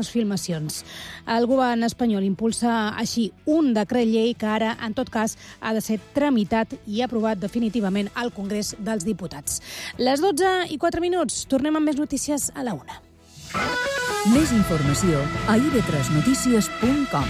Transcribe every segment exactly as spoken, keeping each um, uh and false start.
aquestes filmacions. El govern espanyol impulsa així un decret llei que ara, en tot cas, ha de ser tramitat i aprovat definitivament al Congrés dels Diputats. Les dotze i quatre minuts. Tornem amb més notícies a la una. Més informació a i ve tres notícies punt com.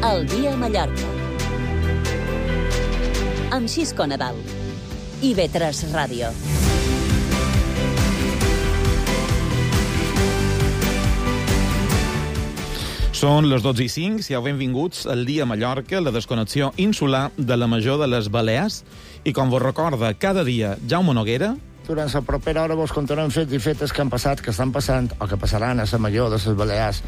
El dia a Mallorca. Amb Xisco Nadal. i ve tres Ràdio. Són les dotze i cinc, siau benvinguts al dia a Mallorca, la desconnexió insular de la Major de les Balears. I com vos recorda cada dia Jaume Noguera... Durant la propera hora vos contarem fets i fetes que han passat, que estan passant o que passaran a la Major de les Balears.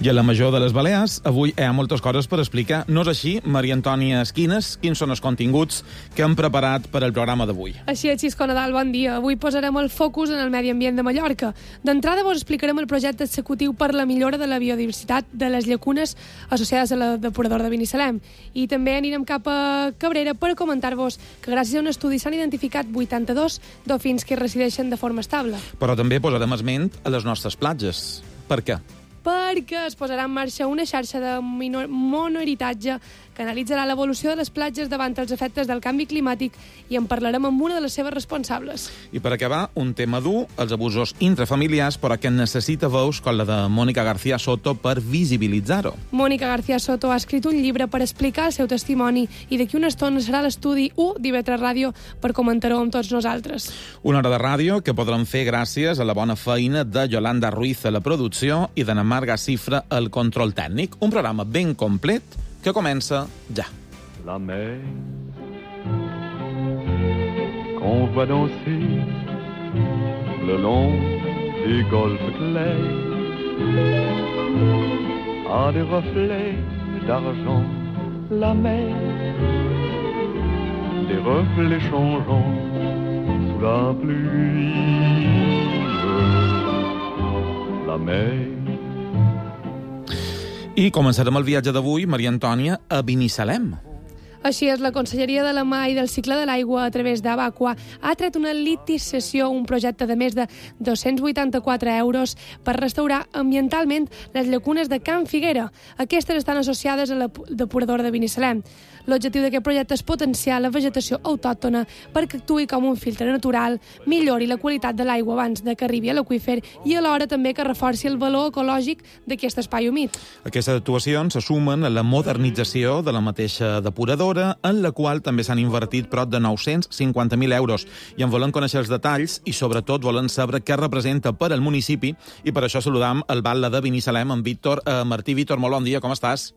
I a la Major de les Balears avui hi ha moltes coses per explicar. No és així, Maria Antònia Esquines? Quins són els continguts que hem preparat per al programa d'avui? Així és, Xisco Nadal, bon dia. Avui posarem el focus en el medi ambient de Mallorca. D'entrada vos explicarem el projecte executiu per la millora de la biodiversitat de les llacunes associades a la depuradora de Binissalem. I també anirem cap a Cabrera per comentar-vos que gràcies a un estudi s'han identificat vuitanta-dos dofins que resideixen de forma estable. Però també posarem esment a les nostres platges. Per què? Perquè es posarà en marxa una xarxa de monoheritatge que analitzarà l'evolució de les platges davant els efectes del canvi climàtic i en parlarem amb una de les seves responsables. I per acabar, un tema dur, els abusos intrafamiliars, però que necessita veus com la de Mònica García Soto per visibilitzar-ho. Mònica García Soto ha escrit un llibre per explicar el seu testimoni i d'aquí una estona serà l'estudi u d'I ve tres Ràdio per comentar-ho amb tots nosaltres. Una hora de ràdio que podrem fer gràcies a la bona feina de Yolanda Ruiz a la producció i d'Anna Marga Cifra al control tècnic. Un programa ben complet que comença ja. La mer qu'on voit danser le long des golfes clairs a des reflets d'argent. La mer, des reflets changeants sous la pluie. La mer. I començarem el viatge d'avui, Maria Antònia, a Binissalem. Així és, la Conselleria de la Mar i del Cicle de l'Aigua, a través d'Abaqua, ha tret una licitació, un projecte de més de dos-cents vuitanta-quatre euros per restaurar ambientalment les llacunes de Can Figuera. Aquestes estan associades a la depuradora de Binissalem. L'objectiu d'aquest projecte és potenciar la vegetació autòctona perquè actuï com un filtre natural, millori la qualitat de l'aigua abans de que arribi a l'aqüífer i alhora també que reforci el valor ecològic d'aquest espai humit. Aquestes actuacions se sumen a la modernització de la mateixa depuradora, en la qual també s'han invertit prop de nou-cents cinquanta mil euros. I en volem conèixer els detalls i, sobretot, volem saber què representa per al municipi i per això saludam el batlle de Binissalem, en Víctor eh, Martí. Víctor, molt bon dia, com estàs?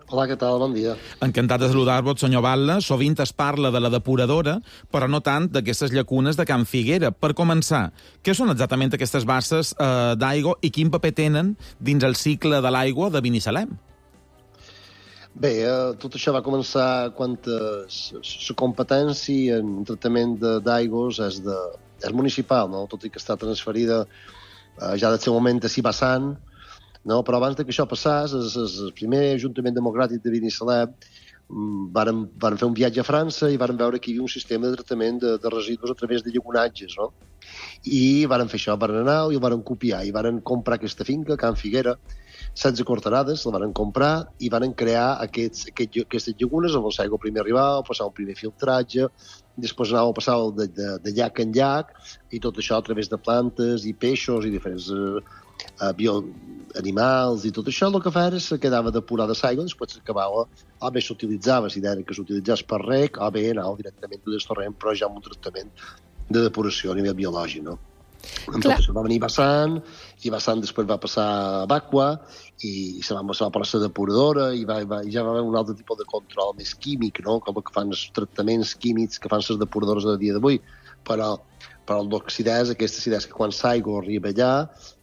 Hola, què tal? Bon dia. Encantat de saludar-vos, senyor batlle. Sovint es parla de la depuradora, però no tant d'aquestes llacunes de Can Figuera. Per començar, què són exactament aquestes basses eh, d'aigua i quin paper tenen dins el cicle de l'aigua de Binissalem? Bé, eh, tot això va començar quan la competència en tractament d'aigües és, de, és municipal, no? Tot i que està transferida eh, ja del seu moment a Cibassant, no? Però abans que això passés, el, el primer Ajuntament Democràtic de Binissalem varen, varen fer un viatge a França i varen veure que hi havia un sistema de tractament de, de residus a través de llagunatges, no? I varen fer això, varen anar i el varen copiar i varen comprar aquesta finca, Can Figuera, setze cortarades, la varen comprar i varen crear aquests, aquest, aquestes llagunes on l'aigua primer arribava, passava un primer filtratge, després anava a passar de, de, de llac en llac i tot això a través de plantes i peixos i diferents eh, bio, animals i tot això. El que feia és que quedava depurada l'aigua, després s'acabava, o bé s'utilitzava, si deia que s'utilitzés per rec, o bé anava directament del torrent, però ja amb un tractament de depuració a nivell biològic, no? Tot això va venir Bassant, i Bassant després va passar a Bacua, i se va passar per la depuradora, i, va, va, i ja va haver un altre tipus de control més químic, no? Com que fan els tractaments químics que fan les depuradores a dia d'avui. Però, però l'oxidesa, aquesta acidesa que quan l'aigua arriba allà,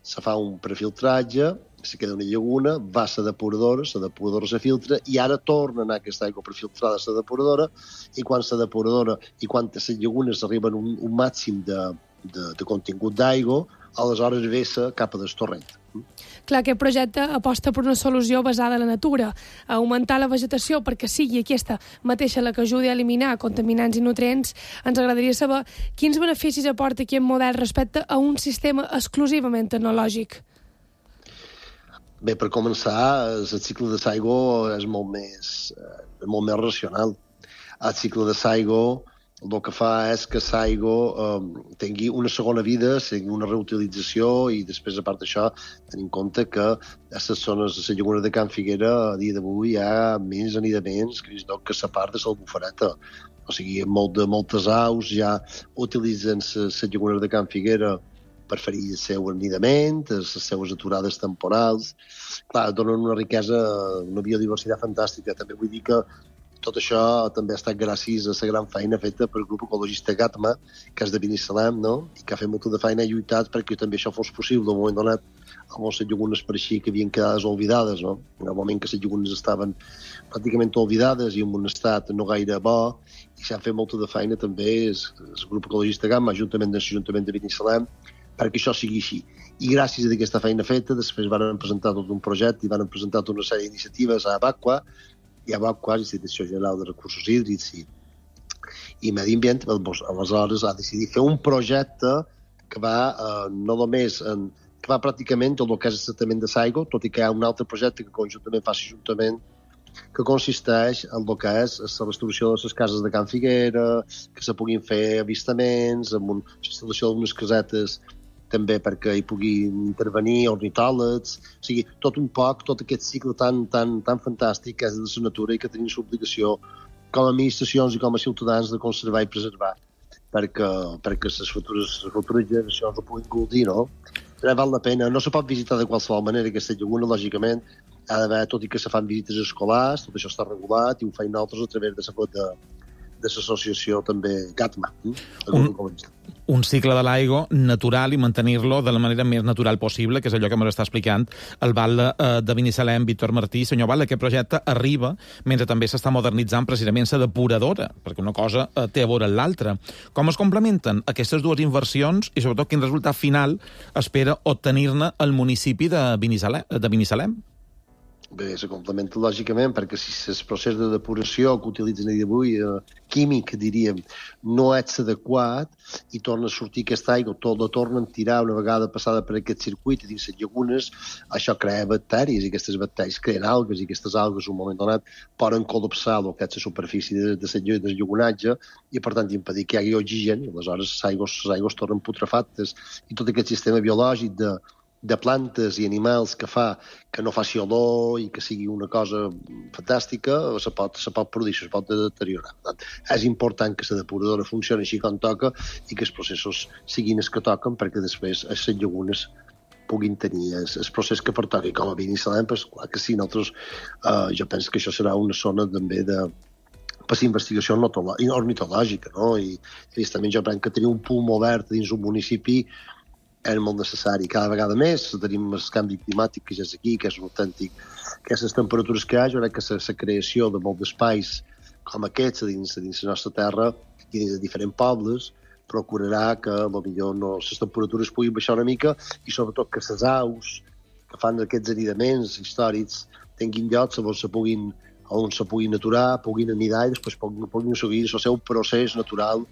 se fa un prefiltratge se queda una llaguna, va a la depuradora, la depuradora se filtra i ara torna a anar aquesta aigua per filtrar de la depuradora i quan la depuradora i quan les llagunes arriben a un, un màxim de, de, de contingut d'aigua, aleshores vessa cap a del torrent. Clar, aquest projecte aposta per una solució basada en la natura, a augmentar la vegetació perquè sigui aquesta mateixa la que ajudi a eliminar contaminants i nutrients. Ens agradaria saber quins beneficis aporta aquest model respecte a un sistema exclusivament tecnològic. Bé, per començar, el cicle de l'aigua és molt més, és molt més racional. El cicle de l'aigua el que fa és que l'aigua eh, tingui una segona vida, tingui una reutilització i després, a part d'això, tenim en compte que a les zones de la llaguna de Can Figuera a dia d'avui hi ha més anidaments que, que la part de l'Albufareta. O sigui, molt de, moltes aus ja utilitzen les llagunes de Can Figuera per fer-hi el seu anidament, les seues aturades temporals. Clar, donen una riquesa, una biodiversitat fantàstica. També vull dir que tot això també ha estat gràcies a la gran feina feta pel grup ecologista Gatma, que és de Binissalem, no? I que ha fet molta de feina i lluitat perquè també això fos possible. En un moment donat, amb les llagunes pareixia que havien quedat oblidades, no? En el moment que les llagunes estaven pràcticament oblidades i en un estat no gaire bo, i s'ha fet molta de feina també el, el grup ecologista Gatma, juntament amb l'Ajuntament de Binissalem, perquè això sigui així. I gràcies a aquesta feina feta, després van presentar tot un projecte i van presentar tota una sèrie d'iniciatives a Abaqua, i a Abaqua, l'Institució General de Recursos Hídrics i, i Medi Ambient, aleshores ha decidit fer un projecte que va eh, no només en, que va pràcticament tot el que és el tractament de l'aigua, tot i que hi ha un altre projecte que conjuntament fa l'Ajuntament que consisteix en el que és la restauració de les cases de Can Figuera, que se puguin fer avistaments, amb una instal·lació d'unes casetes també perquè hi puguin intervenir ornitòlegs, o sigui, tot un poc, tot aquest cicle tan, tan, tan fantàstic que és de la natura i que tenim l'obligació com a administracions i com a ciutadans de conservar i preservar perquè, perquè les futures, les futures generacions ho puguin gaudir, no? Però val la pena, no se pot visitar de qualsevol manera aquesta llaguna, lògicament, ha d'haver, tot i que se fan visites escolars, tot això està regulat i ho feim nosaltres a través de la de, de l'associació també Gatma. Eh? Un, un cicle de l'aigua natural i mantenir-lo de la manera més natural possible, que és allò que ens està explicant el Val eh, de Binissalem, Víctor Martí. Senyor Val, aquest projecte arriba mentre també s'està modernitzant precisament la depuradora, perquè una cosa eh, té a veure amb l'altra. Com es complementen aquestes dues inversions i sobretot quin resultat final espera obtenir-ne el municipi de Binissalem? De Binissalem? Bé, se complementa lògicament, perquè si el procés de depuració que utilitzen avui, eh, químic, diríem, no és adequat i torna a sortir aquesta aigua, tot la tornen a tirar una vegada passada per aquest circuit dins les llagunes, això crea bacteris i aquestes bacteris creen algues i aquestes algues en un moment donat poden col·lapsar el que és la superfície de, de, de, de llagunatge i per tant impedir que hi hagi oxigen i aleshores les aigües, les aigües tornen putrefactes i tot aquest sistema biològic de de plantes i animals que fa que no faci olor i que sigui una cosa fantàstica, se pot, se pot produir, se pot deteriorar. Per tant, és important que la depuradora funcioni així com toca i que els processos siguin els que toquen perquè després les llagunes puguin tenir el, el procés que pertoqui. Com a Binissalem, pues, clar que sí, nosaltres, eh, jo penso que això serà una zona també de per la investigació ornitològica, no? I, i també jo penso que tenir un pulmó obert dins un municipi és molt necessari. Cada vegada més tenim el canvi climàtic que ja és aquí, que és un autèntic, que les temperatures que hi ha, jo crec que la creació de molts espais com aquests dins, dins la nostra terra i dins de diferents pobles procurarà que potser no, les temperatures puguin baixar una mica i sobretot que les aus que fan aquests anidaments històrics tinguin llocs on se puguin, on se puguin aturar, puguin anidar i després puguin, puguin seguir el seu procés natural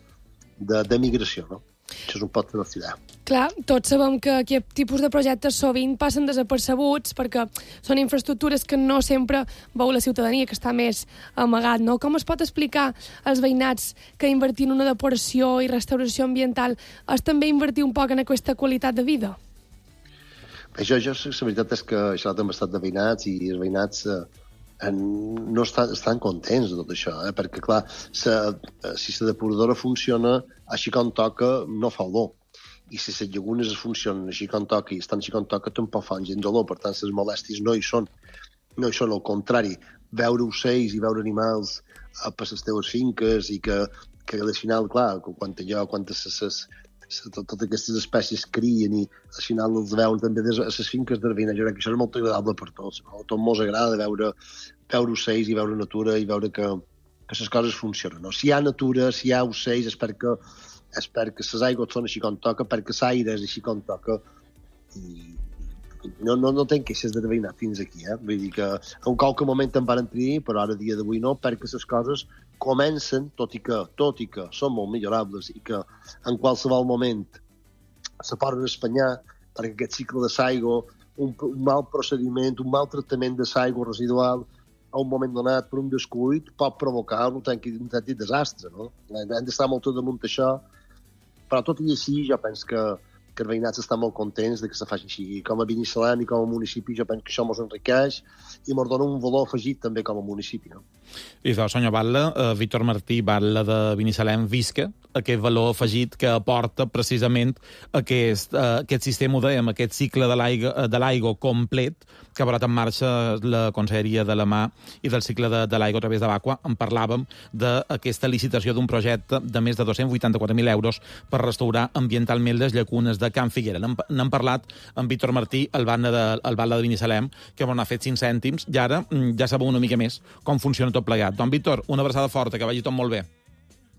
de, de migració, no? Això és un pot de la ciutat. Clar, tots sabem que aquest tipus de projectes sovint passen desapercebuts perquè són infraestructures que no sempre veu la ciutadania, que està més amagat, no? Com es pot explicar als veïnats que invertir en una depuració i restauració ambiental és també invertir un poc en aquesta qualitat de vida? Bé, jo, jo, la veritat és que he xerrat amb estat de veïnats i els veïnats eh, no estan, estan contents de tot això, eh? Perquè, clar, sa, si la depuradora funciona així com toca, no fa olor. I si les llagunes funcionen així com toca i estan així com toca, tampoc fan gens d'olor. Per tant, les molèsties no hi són. No hi són, al contrari. Veure ocells i veure animals per les teves finques i que, que al final, clar, quan allò, quan les, les, tot, totes aquestes espècies crien i al final els veuen també des, a les finques d'Arvina. Jo crec que això és molt agradable per tots. No? A tots ens agrada veure, veure ocells i veure natura i veure que, que les coses funcionen. No? Si hi ha natura, si hi ha ocells, és perquè, és perquè les aigües són així com toca, perquè l'aire és així com toca. I no, no, no tenc queixes d'haver anat fins aquí. Eh? Vull dir que en qualque moment en van tenir, però ara dia d'avui no, perquè les coses comencen, tot i que, tot i que són molt millorables i que en qualsevol moment se poden espanyar perquè aquest cicle de l'aigua, un, un mal procediment, un mal tractament de l'aigua residual a un moment donat per un descuit pot provocar un autèntic desastre. No? Hem d'estar molt damunt d'això, però tot i així jo penso que que els veïnats estan molt contents de que se faci així. Com a Binissalem i com a municipi, jo penso que això ens enriqueix i ens dona un valor afegit també com a municipi. No? I de senyor Batlle, eh, Víctor Martí Batlle de Binissalem, visca aquest valor afegit que aporta precisament aquest, eh, aquest sistema, ho dèiem, aquest cicle de l'aigua de l'aigua complet que ha posat en marxa la Conselleria de la Mar i del cicle de, de l'aigua a través de l'Aqua. En parlàvem d'aquesta licitació d'un projecte de més de dos-cents vuitanta-quatre mil euros per restaurar ambientalment les llacunes de Can Figuera. N'hem parlat amb Víctor Martí, el batlle de, el batlle de Binissalem, que m'ha fet cinc cèntims, i ara ja sabeu una mica més com funciona tot plegat. Don Víctor, una abraçada forta, que vagi tot molt bé.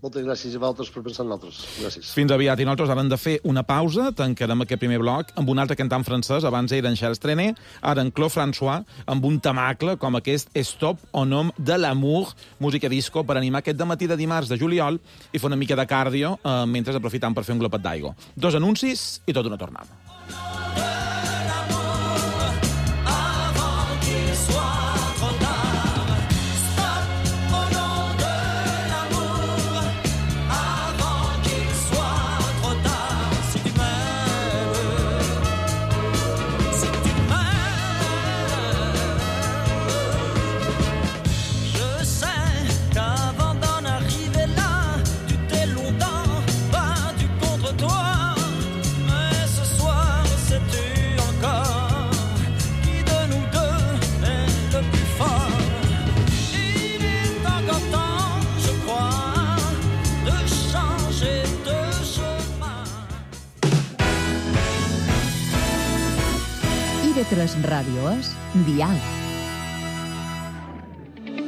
Moltes gràcies a vosaltres per pensar en nosaltres. Gràcies. Fins aviat. I nosaltres ara hem de fer una pausa, tancarem aquest primer bloc amb un altre cantant francès, abans era en Charles Trenet, ara en Claude François, amb un temacle com aquest Stop au nom de l'amour, música disco, per animar aquest dematí de dimarts de juliol i fer una mica de cardio eh, mentre aprofitam per fer un glopet d'aigua. Dos anuncis i tot una tornada. I V tres Ràdio és Dial.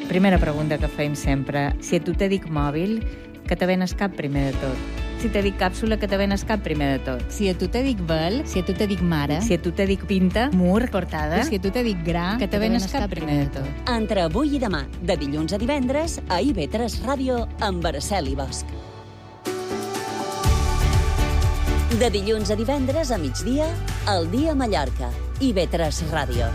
Primera pregunta que feim sempre. Si a tu te dic mòbil, que te ven al cap primer de tot? Si te dic càpsula, que te ven al cap primer de tot? Si a tu te dic vel, si a tu te dic mare, si a tu te dic pinta, mur, portada, i si a tu te dic gra, que te ven al cap primer de tot? Entre avui i demà, de dilluns a divendres, a I V tres Ràdio, amb Araceli Bosch. De dilluns a divendres a migdia, El dia a Mallorca, I V tres Ràdio.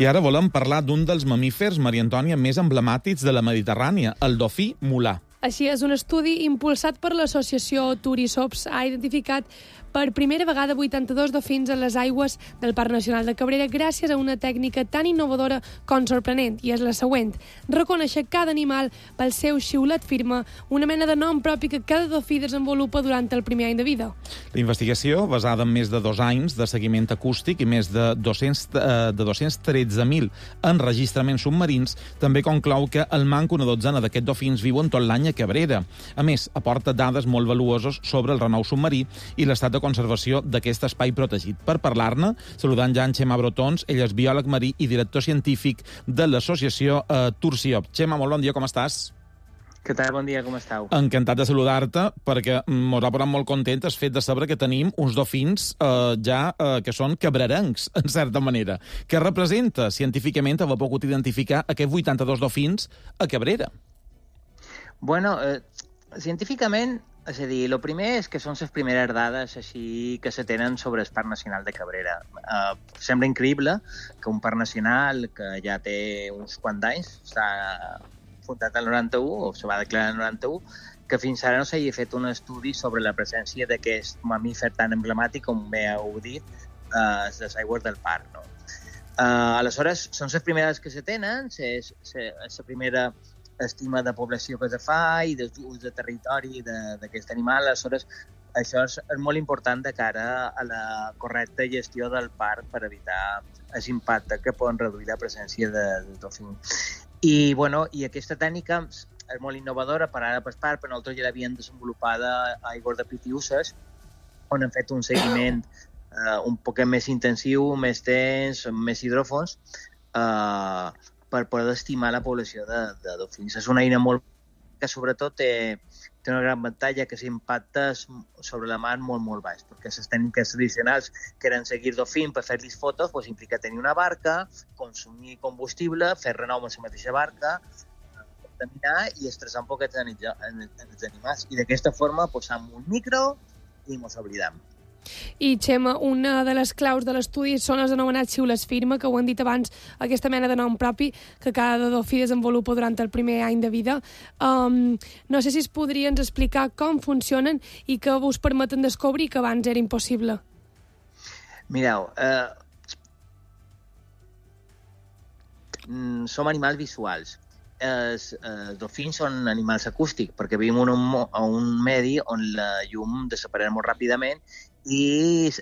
I ara volem parlar d'un dels mamífers, Maria Antònia, més emblemàtics de la Mediterrània, el dofí mulà. Així és, un estudi impulsat per l'associació Turisops ha identificat per primera vegada vuitanta-dos dofins en les aigües del Parc Nacional de Cabrera gràcies a una tècnica tan innovadora com sorprenent, i és la següent: reconèixer cada animal pel seu xiulet firme, una mena de nom propi que cada dofí desenvolupa durant el primer any de vida. La investigació, basada en més de dos anys de seguiment acústic i més de dos-cents, eh, de dos-cents tretze mil enregistraments submarins, també conclou que el manco una dotzena d'aquests dofins viuen tot l'any a Cabrera. A més, aporta dades molt valuoses sobre el renou submarí i l'estat de conservació d'aquest espai protegit. Per parlar-ne, saludant ja en Xema Brotons, ell és biòleg marí i director científic de l'associació eh, Tursiop. Xema, molt bon dia, com estàs? Què tal? Bon dia, com estàu? Encantat de saludar-te, perquè m'ho ha posat molt content el fet de saber que tenim uns dofins eh, ja eh, que són cabrerencs, en certa manera. Què representa científicament haver pogut identificar aquests vuitanta-dos dofins a Cabrera? Bueno, eh, científicament, és a dir, el primer és que són les primeres dades així que se tenen sobre el Parc Nacional de Cabrera. Uh, sembla increïble que un parc nacional que ja té uns quants anys, està fundat el noranta-u, o se va declarar el noranta-u, que fins ara no s'hagi fet un estudi sobre la presència d'aquest mamífer tan emblemàtic, com bé heu dit, a uh, les aigües del parc. No? Uh, aleshores, són les primeres que se tenen, és la primera estima de població que se fa i d'ús de territori d'aquest animal. Aleshores, això és, és molt important de cara a la correcta gestió del parc per evitar l'impacte que poden reduir la presència de, de dofí. I, bueno, i aquesta tècnica és molt innovadora per ara per part, però nosaltres ja l'havien desenvolupada a Igor de Pitiuses, on hem fet un seguiment eh, un poc més intensiu, més tens, més hidròfons, eh, per poder estimar la població de, de dofins. És una eina molt que sobretot té, té una gran avantatge, que s'impacta sobre la mar molt, molt baix, perquè les tècniques tradicionals que eren seguir dofins per fer-los fotos, doncs implica tenir una barca, consumir combustible, fer renou amb la mateixa barca, contaminar i estressar un poc els animals. I d'aquesta forma posam un micro i mos oblidam. I, Xema, una de les claus de l'estudi són les anomenats xiules firma, que ho han dit abans, aquesta mena de nom propi que cada dofí desenvolupa durant el primer any de vida. Um, no sé si es podrien explicar com funcionen i què us permeten descobrir que abans era impossible. Mireu, eh, som animals visuals. Els, els dofins són animals acústics, perquè vivim en un, en un medi on la llum desapareix molt ràpidament i és,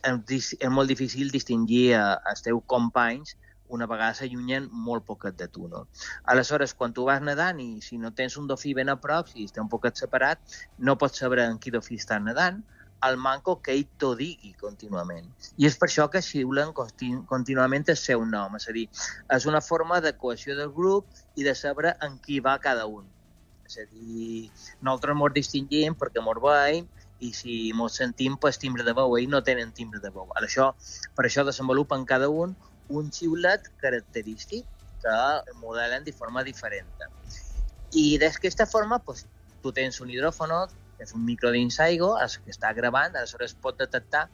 és molt difícil distingir els teus companys una vegada s'allunyen molt poquet de tu. No? Aleshores, quan tu vas nedant i si no tens un dofí ben a prop, si està un poquet separat, no pots saber en quin dofí està nedant, al manco que ell t'ho digui contínuament. I és per això que xiulen continu contínuament el seu nom. És a dir, és una forma de cohesió del grup i de saber en qui va cada un. És a dir, nosaltres ens distingim perquè ens veiem i si ens sentim per timbre de veu, ells no tenen timbre de veu. Per això, per això desenvolupen cada un un xiulet característic que el modelen de forma diferent. I d'aquesta forma, pues, tu tens un hidròfono, que és un micro dins aigua, que està gravant, aleshores pot detectar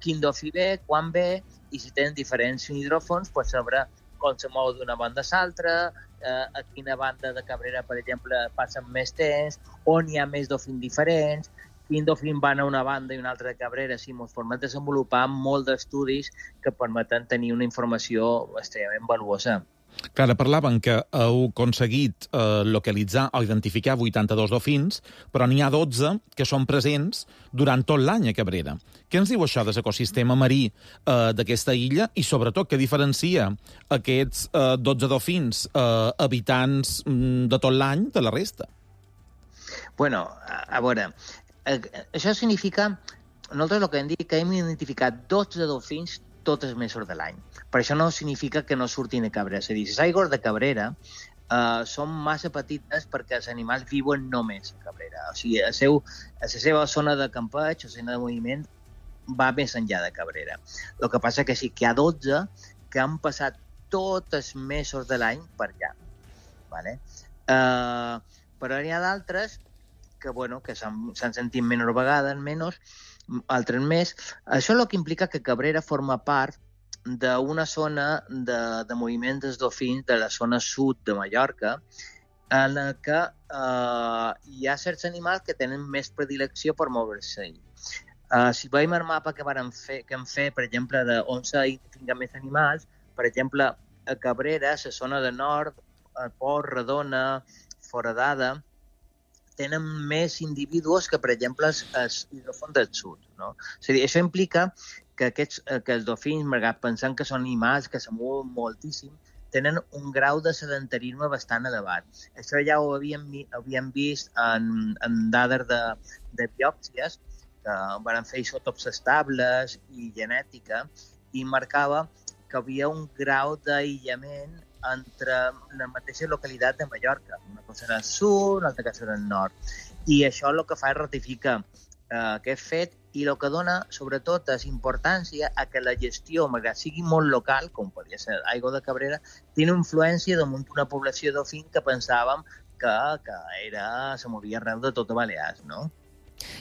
quin dofí ve, quan ve, i si tens diferents hidròfons, pots saber com se mou d'una banda a l'altra, eh, a quina banda de Cabrera, per exemple, passen més temps, on hi ha més dofins diferents, quin dofin van a una banda i una altra de Cabrera. Sí, ens permet desenvolupar molt d'estudis que permeten tenir una informació extremadament valuosa. Clara, parlaven que heu aconseguit eh, localitzar o identificar vuitanta-dos dofins, però n'hi ha dotze que són presents durant tot l'any a Cabrera. Què ens diu això de l'ecosistema marí eh, d'aquesta illa i, sobretot, què diferencia aquests eh, dotze dofins eh, habitants mm, de tot l'any de la resta? Bueno, a, a veure, eh, això significa, nosaltres el que hem dit que hem identificat dotze dofins tots els mesos de l'any. Per això no significa que no surtin a Cabrera. És a dir, les aigües de Cabrera eh, són massa petites perquè els animals viuen només a Cabrera. O sigui, el seu, la seva zona de campeig, la zona de moviment, va més enllà de Cabrera. El que passa que sí que hi ha dotze que han passat tots els mesos de l'any per allà. Vale? Eh, però n'hi ha d'altres que, bueno, que s'han sentit menys vegades, menys, altres més. Això és el que implica que Cabrera forma part d'una zona de, de moviment dels dofins de la zona sud de Mallorca, en la que eh, hi ha certs animals que tenen més predilecció per moure-se. Uh, si veiem el mapa que, fer, que hem fet, per exemple, d'on s'identifiquen més animals, per exemple, a Cabrera, la zona de nord, a Port, Redona, Foradada, tenen més individus que, per exemple, els, els hidròfons del sud. No? És a dir, això implica que, aquests, que els dofins, malgrat pensant que són animals que se mouen moltíssim, tenen un grau de sedentarisme bastant elevat. Això ja ho havíem, havíem vist en, en dades de, de biòpsies, que van fer isòtops estables i genètica, i marcava que hi havia un grau d'aïllament entre la mateixa localitat de Mallorca. Una cosa era el sud, una altra cosa era el nord. I això el que fa és ratificar eh, aquest fet i el que dona, sobretot, és importància a que la gestió, malgrat sigui molt local, com podria ser Aigua de Cabrera, té una influència damunt una població d'ofin que pensàvem que, que era, se movia arreu de tot Balears, no?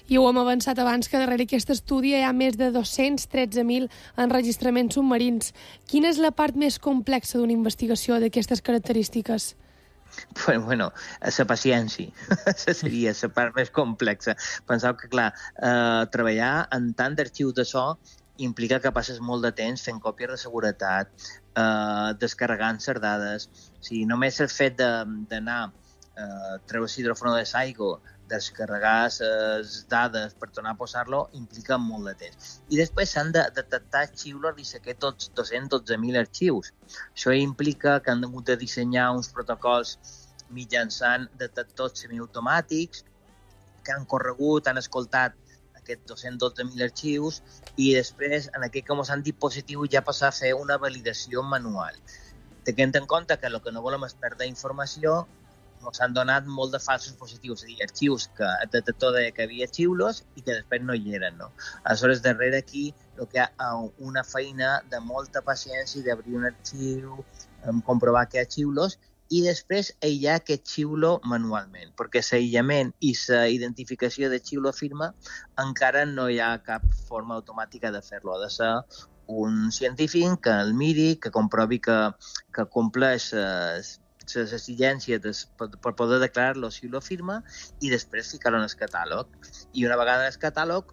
I ho hem avançat abans, que darrere aquest estudi hi ha més de dos-cents tretze mil enregistraments submarins. Quina és la part més complexa d'una investigació d'aquestes característiques? Bueno, bueno, la paciència. Seria la part més complexa. Penseu que, clar, eh, treballar en tant d'arxius de so implica que passes molt de temps fent còpies de seguretat, eh, descarregant les dades. O sigui, només el fet d'anar a eh, treure l'hidròfono de l'aigua, descarregar les dades per tornar a posar-lo, implica molt de temps. I després s'han de detectar xiules i saber tots dos-cents dotze mil arxius. Això implica que han hagut de dissenyar uns protocols mitjançant detectors semiautomàtics que han corregut, han escoltat aquests dos-cents dotze mil arxius i després, en aquest com s'han dispositiu, ja passar a fer una validació manual. Tenint en compte que el que no volem és perdre informació, s'han donat molt de falsos positius, és a dir, arxius que el detector deia que havia xiulos i que després no hi eren, no? Aleshores, darrere aquí, el que hi ha una feina de molta paciència d'obrir un arxiu, comprovar que hi ha xiulos i després aïllar aquest xiulo manualment, perquè l'aïllament i la identificació de xiulo firma encara no hi ha cap forma automàtica de fer-lo. Ha de ser un científic que el miri, que comprovi que, que compleix les les exigències per, per poder declarar-lo si lo firma i després ficar-lo en el catàleg. I una vegada en el catàleg,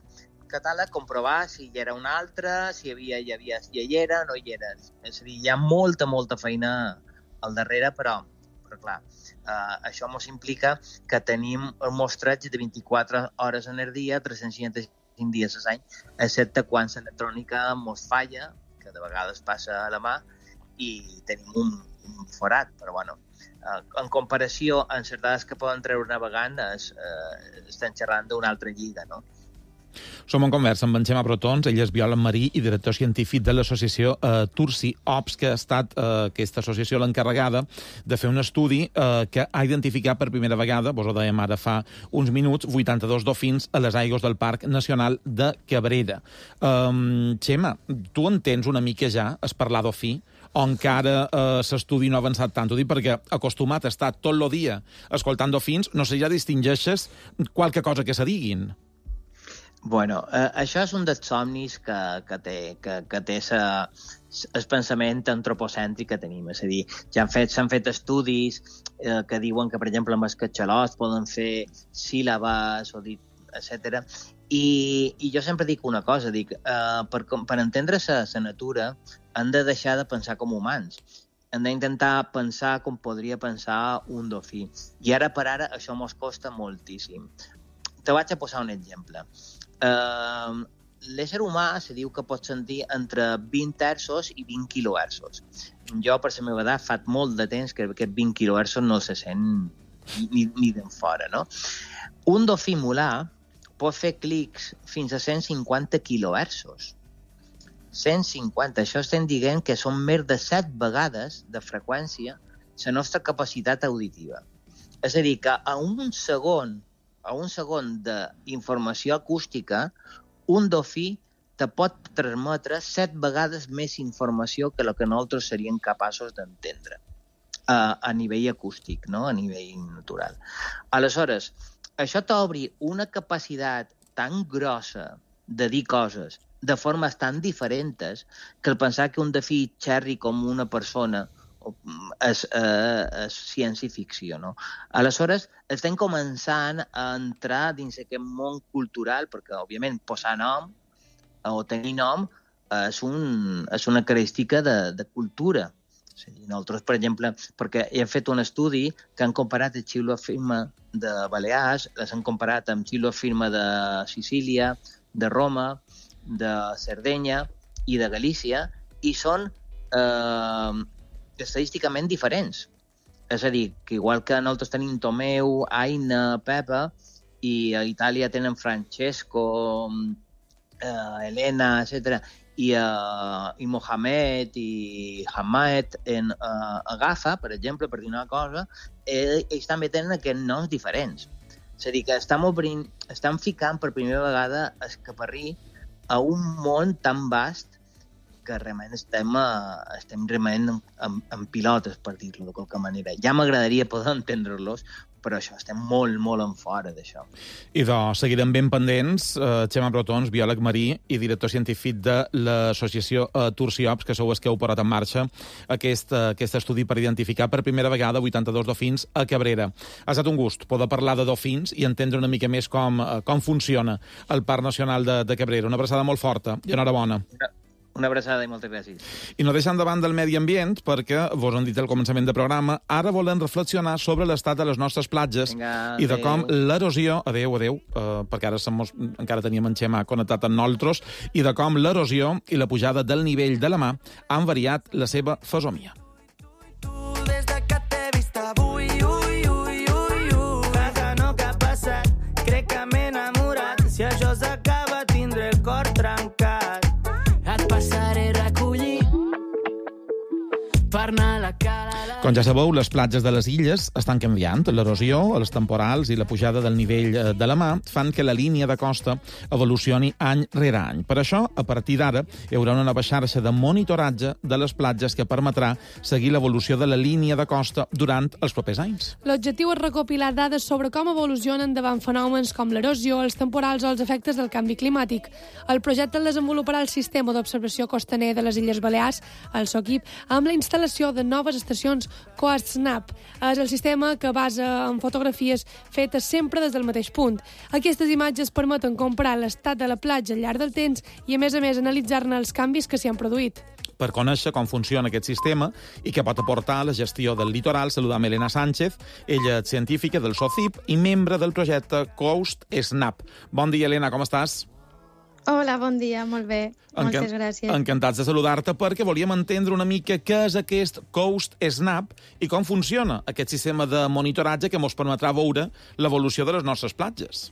catàleg comprovar si hi era un altre, si hi havia, hi havia, si hi era o no hi era. És a dir, hi ha molta, molta feina al darrere, però, però clar, eh, això ens implica que tenim el mostratge de vint-i-quatre hores en el dia, tres-cents seixanta-cinc dies a l'any, excepte quan l'electrònica ens falla, que de vegades passa a la mà, i tenim un, un forat, però bueno, eh, en comparació amb les dades que poden treure navegant, es, eh, estem xerrant d'una altra lliga, no? Som en conversa amb en Xema Brotons, ell és biòleg marí i director científic de l'associació eh, Tursi Ops, que ha estat eh, aquesta associació l'encarregada de fer un estudi eh, que ha identificat per primera vegada, vos ho dèiem ara fa uns minuts, vuitanta-dos dofins a les aigües del Parc Nacional de Cabrera. Um, Xema, tu entens una mica ja es parlar dofí? O encara eh, l'estudi no ha avançat tant? Ho dic perquè acostumat a estar tot el dia escoltant dofins, no sé, ja distingeixes qualque cosa que se diguin. Bueno, eh, això és un dels somnis que, que té, que, que té sa, el pensament antropocèntric que tenim. És a dir, ja han fet, s'han fet estudis eh, que diuen que, per exemple, amb els catxalots poden fer síl·labes, o dir, etcètera. I, I jo sempre dic una cosa, dic, eh, per, per entendre la natura hem de deixar de pensar com humans. Hem d'intentar pensar com podria pensar un dofí. I ara per ara això mos costa moltíssim. Te vaig a posar un exemple. Uh, L'ésser humà se diu que pot sentir entre vint hertzos i vint quilohertzos. Jo, per la meva edat, fa molt de temps que aquest vint quilohertzos no se sent ni, ni d'en fora, no? Un dofí mulà pot fer clics fins a cent cinquanta quilohertzos. cent cinquanta, això estem dient que són més de set vegades de freqüència la nostra capacitat auditiva. És a dir, que a un segon, a un segon d'informació acústica, un dofí te pot transmetre set vegades més informació que el que nosaltres seríem capaços d'entendre a, a nivell acústic, no? A nivell natural. Aleshores, això t'obri una capacitat tan grossa de dir coses de formes tan diferents que el pensar que un dofí xerri com una persona és, eh, és ciència-ficció, no? Aleshores, estem començant a entrar dins aquest món cultural, perquè, òbviament, posar nom o tenir nom és, un, és una característica de, de cultura. Sí, nosaltres, per exemple, perquè hem fet un estudi que han comparat el xiulo firma de Balears, les han comparat amb xiulo firma de Sicília, de Roma, de Sardenya i de Galícia, i són eh, estadísticament diferents. És a dir, que igual que nosaltres tenim Tomeu, Aina, Pepa, i a Itàlia tenen Francesco, eh, Elena, etcètera, i, uh, i Mohamed i Hamad en uh, Agafa, per exemple, per dir una cosa, eh, ells també tenen aquests noms diferents. És a dir, que estem, obrint, estem ficant per primera vegada el caparrí a un món tan vast que realment estem, uh, estem realment en, en, en pilotes, per dir-lo de qualque manera. Ja m'agradaria poder entendre-los, però això, estem molt, molt en fora d'això. I doncs, seguirem ben pendents. Uh, Xema Brotons, biòleg marí i director científic de l'associació uh, Tursi Ops, que sou els que heu posat en marxa aquest, uh, aquest estudi per identificar per primera vegada vuitanta-dos dofins a Cabrera. Ha estat un gust poder parlar de dofins i entendre una mica més com, uh, com funciona el Parc Nacional de, de Cabrera. Una abraçada molt forta i enhorabona. Una... Una abraçada i moltes gràcies. I no deixant de banda el medi ambient, perquè vos han dit al començament del programa, ara volem reflexionar sobre l'estat de les nostres platges. Vinga, i de com l'erosió... Adéu, adéu, uh, perquè ara som, encara teníem en Xema connectat amb nosaltres, i de com l'erosió i la pujada del nivell de la mà han variat la seva fesomia. Tu, des de que t'he vist avui, ui, ui. Com ja sabeu, les platges de les illes estan canviant. L'erosió, els temporals i la pujada del nivell de la mar fan que la línia de costa evolucioni any rere any. Per això, a partir d'ara, hi haurà una nova xarxa de monitoratge de les platges que permetrà seguir l'evolució de la línia de costa durant els propers anys. L'objectiu és recopilar dades sobre com evolucionen davant fenòmens com l'erosió, els temporals o els efectes del canvi climàtic. El projecte el desenvoluparà el Sistema d'Observació Costaner de les Illes Balears, el SOCIP, amb la instal·lació de noves estacions CoastSnap. És el sistema que basa en fotografies fetes sempre des del mateix punt. Aquestes imatges permeten comparar l'estat de la platja al llarg del temps i, a més a més, analitzar-ne els canvis que s'hi han produït. Per conèixer com funciona aquest sistema i què pot aportar a la gestió del litoral, saludam Elena Sánchez, ella és científica del SOCIP i membre del projecte CoastSnap. Bon dia, Elena, com estàs? Hola, bon dia, molt bé. Moltes Encant gràcies. Encantats de saludar-te perquè volíem entendre una mica què és aquest CoastSnap i com funciona aquest sistema de monitoratge que ens permetrà veure l'evolució de les nostres platges.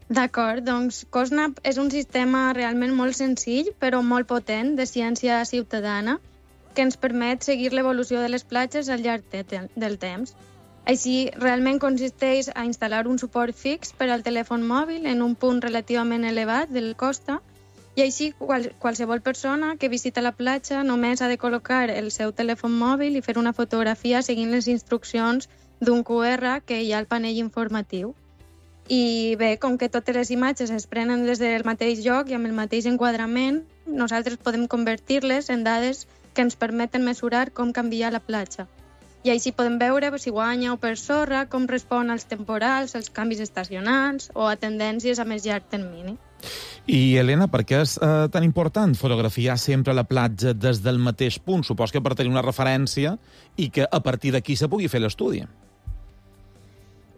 D'acord, doncs CoastSnap és un sistema realment molt senzill però molt potent de ciència ciutadana que ens permet seguir l'evolució de les platges al llarg de, del temps. Així, realment consisteix a instal·lar un suport fix per al telèfon mòbil en un punt relativament elevat de la costa i així qual, qualsevol persona que visita la platja només ha de col·locar el seu telèfon mòbil i fer una fotografia seguint les instruccions d'un cu erre que hi ha al panell informatiu. I bé, com que totes les imatges es prenen des del mateix lloc i amb el mateix enquadrament, nosaltres podem convertir-les en dades que ens permeten mesurar com canvia la platja. I així podem veure si guanya o per sorra, com respon als temporals, als canvis estacionals o a tendències a més llarg termini. I, Elena, per què és eh, tan important fotografiar sempre la platja des del mateix punt? Supos que per tenir una referència i que a partir d'aquí se pugui fer l'estudi.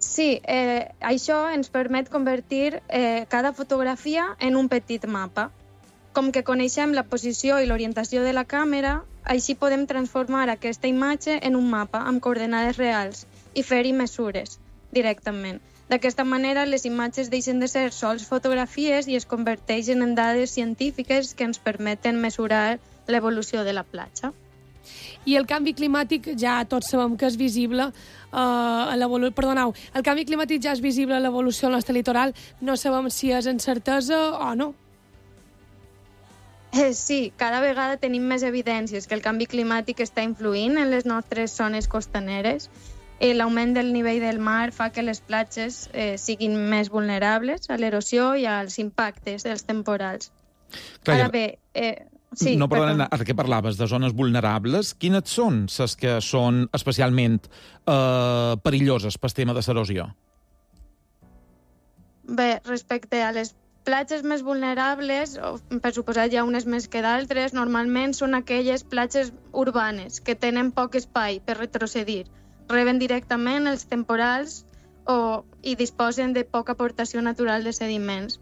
Sí, eh, això ens permet convertir eh, cada fotografia en un petit mapa. Com que coneixem la posició i l'orientació de la càmera, així podem transformar aquesta imatge en un mapa amb coordenades reals i fer-hi mesures directament. D'aquesta manera, les imatges deixen de ser sols fotografies i es converteixen en dades científiques que ens permeten mesurar l'evolució de la platja. I el canvi climàtic ja tots sabem que és visible uh, a l'evolució... Perdoneu, el canvi climàtic ja és visible a l'evolució del nostre litoral. No sabem si és en certesa o no. Eh, sí, cada vegada tenim més evidències que el canvi climàtic està influint en les nostres zones costaneres. Eh, L'augment del nivell del mar fa que les platges eh, siguin més vulnerables a l'erosió i als impactes dels temporals. Clar, Ara bé... Eh, sí, no, perdona, ara que parlaves de zones vulnerables, quines són les que són especialment eh, perilloses pel tema de l'erosió? Bé, respecte a les platges més vulnerables, per suposat hi ha unes més que d'altres, normalment són aquelles platges urbanes que tenen poc espai per retrocedir, reben directament els temporals o, i disposen de poca aportació natural de sediments.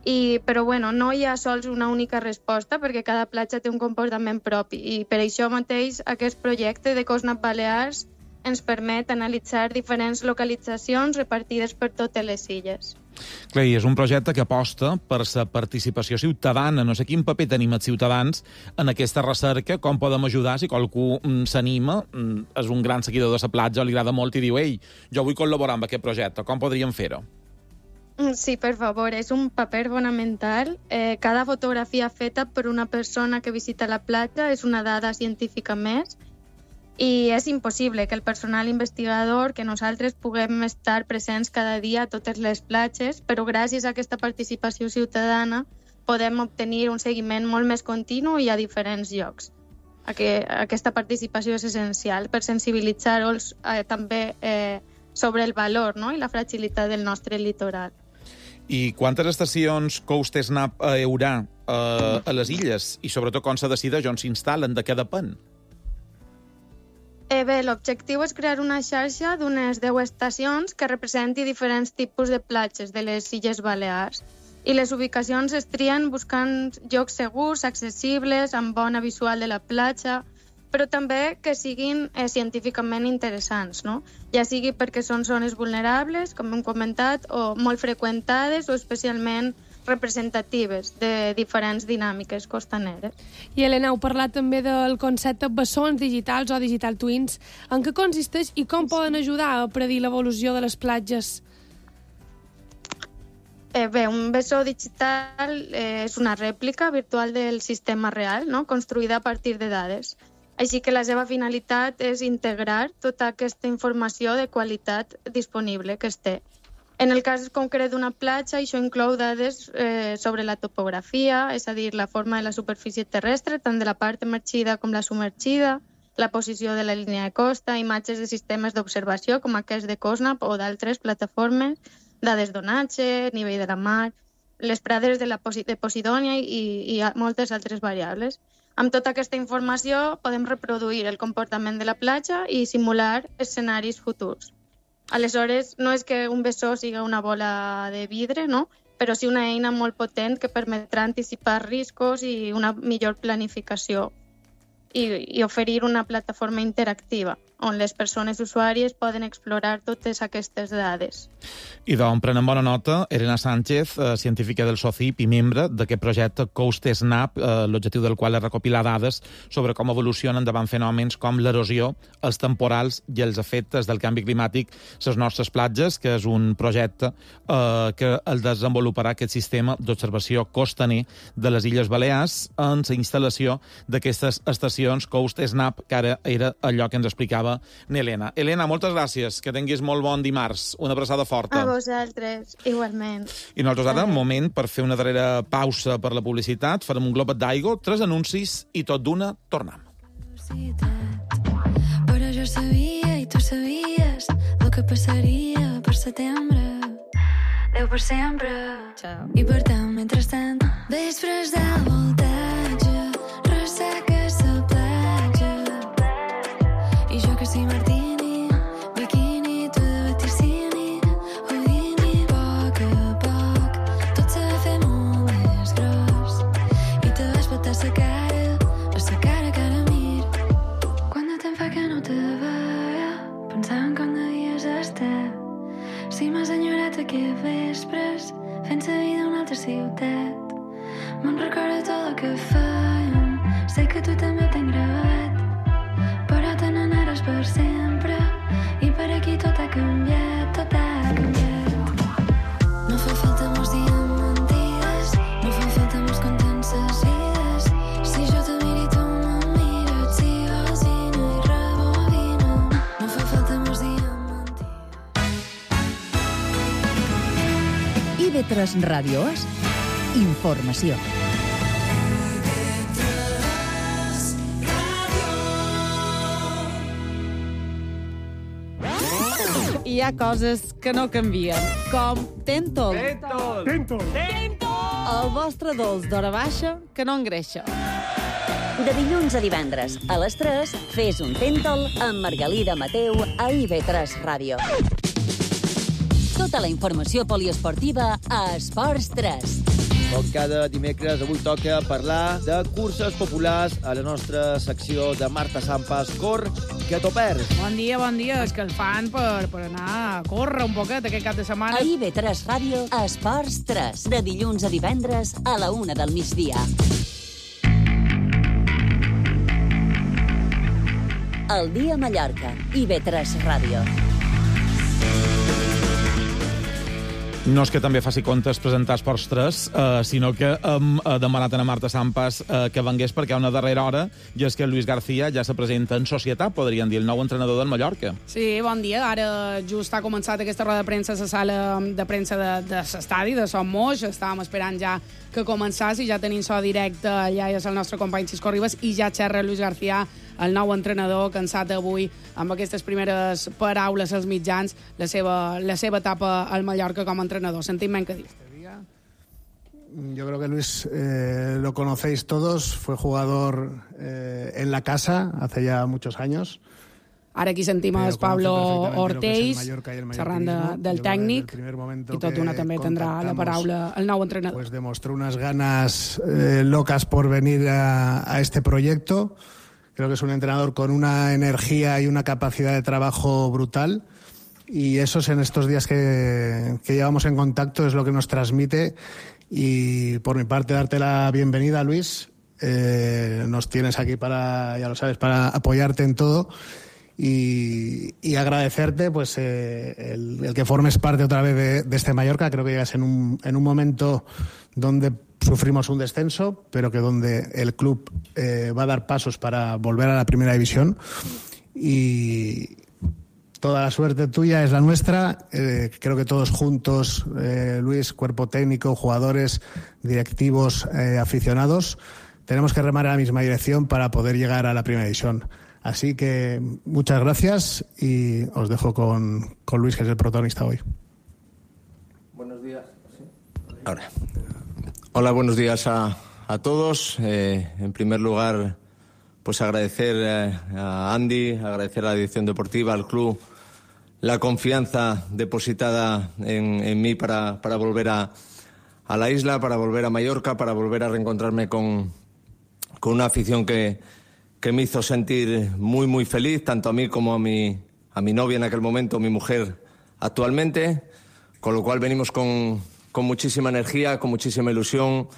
I, però bueno, no hi ha sols una única resposta perquè cada platja té un comportament propi i per això mateix aquest projecte de CoastSnap Balears ens permet analitzar diferents localitzacions repartides per totes les illes. Clar, i és un projecte que aposta per la participació ciutadana. No sé quin paper tenim els ciutadans en aquesta recerca, com podem ajudar si qualcú mm, s'anima, mm, és un gran seguidor de la platja, li agrada molt i diu «Ei, jo vull col·laborar amb aquest projecte, com podríem fer-ho?» Sí, per favor, és un paper fonamental. Eh, cada fotografia feta per una persona que visita la platja és una dada científica més i és impossible que el personal investigador, que nosaltres puguem estar presents cada dia a totes les platges, però gràcies a aquesta participació ciutadana podem obtenir un seguiment molt més continu i a diferents llocs. Aquesta participació és essencial per sensibilitzar-los eh, també eh, sobre el valor, no?, i la fragilitat del nostre litoral. I quantes estacions CoastSnap hi haurà eh, a les illes? I sobretot com se decideix on s'instal·len, de què depèn? Eh, bé, l'objectiu és crear una xarxa d'unes deu estacions que representi diferents tipus de platges de les Illes Balears. I les ubicacions es trien buscant llocs segurs, accessibles, amb bona visual de la platja, però també que siguin eh, científicament interessants, no? Ja sigui perquè són zones vulnerables, com hem comentat, o molt freqüentades, o especialment representatives de diferents dinàmiques costaneres. I Helena, heu parlat també del concepte bessons digitals o digital twins. En què consisteix i com poden ajudar a predir l'evolució de les platges? Eh, bé, un bessó digital eh, és una rèplica virtual del sistema real, no? Construïda a partir de dades. Així que la seva finalitat és integrar tota aquesta informació de qualitat disponible que es té. En el cas concret d'una platja, això inclou dades eh, sobre la topografia, és a dir, la forma de la superfície terrestre, tant de la part emergida com la submergida, la posició de la línia de costa, imatges de sistemes d'observació com aquests de COSNAP o d'altres plataformes, dades d'onatge, nivell de la mar, les prades de, la Posi de Posidònia i, i moltes altres variables. Amb tota aquesta informació podem reproduir el comportament de la platja i simular escenaris futurs. Aleshores, no és que un bessó siga una bola de vidre, no? Però sí una eina molt potent que permetrà anticipar riscos i una millor planificació i, i oferir una plataforma interactiva on les persones usuàries poden explorar totes aquestes dades. I d'on prenem bona nota, Elena Sánchez, eh, científica del SOCIP i membre d'aquest projecte CoastSnap, eh, l'objectiu del qual és recopilar dades sobre com evolucionen davant fenòmens com l'erosió, els temporals i els efectes del canvi climàtic a les nostres platges, que és un projecte eh, que el desenvoluparà aquest sistema d'observació costaner de les Illes Balears en la instal·lació d'aquestes estacions CoastSnap, que ara era allò que ens explicava Elena. Elena, moltes gràcies. Que tinguis molt bon dimarts. Una abraçada forta. A vosaltres, igualment. I nosaltres ara, un moment per fer una darrera pausa per la publicitat. Farem un globet d'aigua, tres anuncis i tot d'una tornem. Però jo sabia i tu sabies el que passaria per setembre. Déu per sempre. Ciao. I per tant, mentrestant, vespres de voltatge, resseca sa platja. I jo que sí, martini, bikini, tu de vaticini, Houdini, poc a poc, tot se fa molt més gros. I te vas petar sa cara, a sa cara que ara mir. Quant de temps fa que no te veia, pensant com devies estar. Si m'has enyorat aquests vespres, fent sa vida a una altra ciutat. Me'n recordo tot el que fèiem, sé que tu també ho tens gravat. Però te n'anaràs per sempre i per aquí tot ha canviat, tot ha canviat. No fa falta molts dies mentides, no fa falta molts contences vides. Si jo te miro i tu me mires, si vols vine i rebobina. No fa falta molts dies mentides. I ve tres Ràdio És, informació. Hi ha coses que no canvien, com Tentol. Tentol! Tentol! Tentol! El vostre dolç d'hora baixa que no engreixa. De dilluns a divendres, a les tres, fes un Tentol amb Margalida Mateu a I V tres Ràdio. Tota la informació poliesportiva a Esports tres. Com cada dimecres, avui toca parlar de curses populars a la nostra secció de Marta Sampas. Cor, que t'ho perds. Bon dia, bon dia. És que el fan per, per anar a córrer un poquet aquest cap de setmana. A I V tres Ràdio, a Esports tres. De dilluns a divendres, a la una del migdia. El dia a Mallorca, I V tres Ràdio. No és que també faci comptes presentar Esports tres, eh, sinó que hem eh, demanat a Marta Sampas eh, que vengués perquè hi ha una darrera hora, i és que Luis García ja se presenta en societat, podríem dir, el nou entrenador del Mallorca. Sí, bon dia. Ara just ha començat aquesta roda de premsa a la sala de premsa de, de l'estadi, de Son Moix. Estàvem esperant ja que començàs i ja tenim so directe. Allà és el nostre company Xisco Ribas i ja xerra Luis García, el nou entrenador, cansat avui amb aquestes primeres paraules als mitjans, la seva, la seva etapa al Mallorca com a entrenador. Sentim menys que dir. Yo creo que Luis eh, lo conocéis todos, fue jugador eh, en la casa hace ya muchos años. Ara aquí sentim el Pablo Ortells, xerrant de, del tècnic, i tot d'una també tindrà la paraula el nou entrenador. Pues demostró unas ganas eh, locas por venir a, a este proyecto. Creo que es un entrenador con una energía y una capacidad de trabajo brutal. y eso es en estos días que, que llevamos en contacto, es lo que nos transmite. Y por mi parte, darte la bienvenida, Luis. Eh, nos tienes aquí para, ya lo sabes, para apoyarte en todo y, y agradecerte pues eh, el, el que formes parte otra vez de, de este Mallorca. Creo que llegas en un, en un momento donde sufrimos un descenso, pero que donde el club eh, va a dar pasos para volver a la primera división, y toda la suerte tuya es la nuestra. Eh, creo que todos juntos, eh, Luis, cuerpo técnico, jugadores, directivos, eh, aficionados, tenemos que remar en la misma dirección para poder llegar a la primera división. Así que muchas gracias y os dejo con, con Luis, que es el protagonista hoy. Buenos días. Ahora. Hola, buenos días a, a todos. Eh, en primer lugar, pues agradecer eh, a Andy, agradecer a la dirección deportiva, al club, la confianza depositada en, en mí para, para volver a, a la isla, para volver a Mallorca, para volver a reencontrarme con, con una afición que, que me hizo sentir muy, muy feliz, tanto a mí como a mi, a mi novia en aquel momento, mi mujer actualmente, con lo cual venimos con, con muchísima energía, con muchísima ilusión,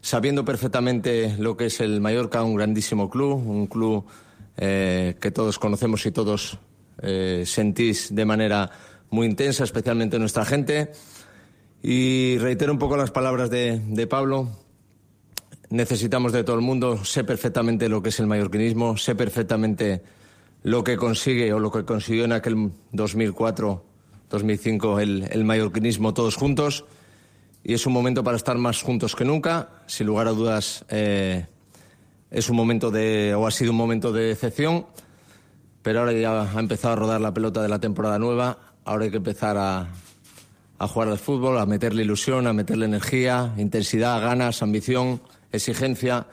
sabiendo perfectamente lo que es el Mallorca, un grandísimo club, un club eh, que todos conocemos y todos eh, sentís de manera muy intensa, especialmente nuestra gente. Y reitero un poco las palabras de, de Pablo. Necesitamos de todo el mundo, sé perfectamente lo que es el mallorquinismo, sé perfectamente lo que consigue o lo que consiguió en aquel dos mil cuatro, dos mil cinco el, el mallorquinismo todos juntos, y es un momento para estar más juntos que nunca. Sin lugar a dudas, eh, es un momento de, o ha sido un momento de decepción, pero ahora ya ha empezado a rodar la pelota de la temporada nueva. Ahora hay que empezar a, a jugar al fútbol, a meterle ilusión, a meterle energía, intensidad, ganas, ambición, exigencia.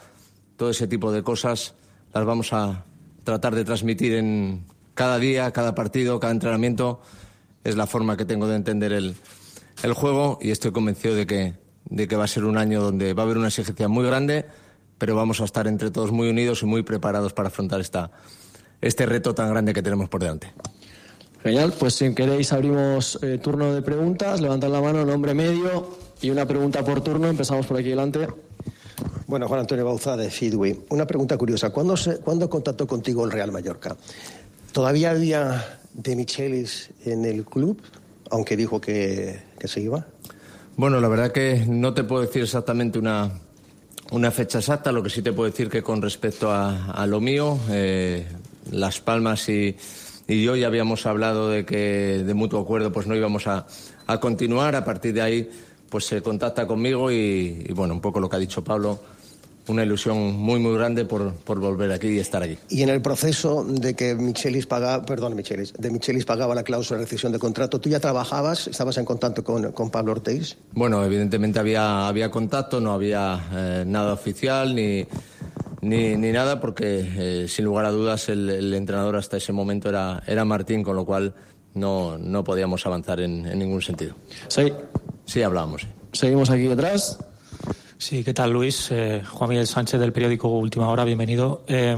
Todo ese tipo de cosas las vamos a tratar de transmitir en cada día, cada partido, cada entrenamiento. Es la forma que tengo de entender el, el juego, y estoy convencido de que, de que va a ser un año donde va a haber una exigencia muy grande, pero vamos a estar entre todos muy unidos y muy preparados para afrontar esta, este reto tan grande que tenemos por delante. Genial, pues si queréis abrimos eh, turno de preguntas. Levantad la mano, nombre medio y una pregunta por turno. Empezamos por aquí delante. Bueno, Juan Antonio Bauza, de Feedway. Una pregunta curiosa. ¿Cuándo, se, ¿Cuándo contactó contigo el Real Mallorca? ¿Todavía había De Michelis en el club, aunque dijo que, que se iba? Bueno, la verdad que no te puedo decir exactamente una, una fecha exacta. Lo que sí te puedo decir que con respecto a, a lo mío, eh, Las Palmas y, y yo ya habíamos hablado de que de mutuo acuerdo pues no íbamos a, a continuar. A partir de ahí pues se contacta conmigo y, y bueno, un poco lo que ha dicho Pablo, una ilusión muy muy grande por, por volver aquí y estar aquí. Y en el proceso de que Michelis pagaba, perdón, Michelis, de Michelis pagaba la cláusula de rescisión de contrato, ¿tú ya trabajabas, estabas en contacto con, con Pablo Ortiz? Bueno, evidentemente había, había contacto, no había eh, nada oficial ni, ni, ni nada, porque eh, sin lugar a dudas el, el entrenador hasta ese momento era, era Martín, con lo cual no, no podíamos avanzar en, en ningún sentido. Sí. Sí, hablábamos. Sí. Seguimos aquí detrás. Sí, ¿qué tal, Luis? Eh, Juan Miguel Sánchez, del periódico Última Hora, bienvenido. Eh,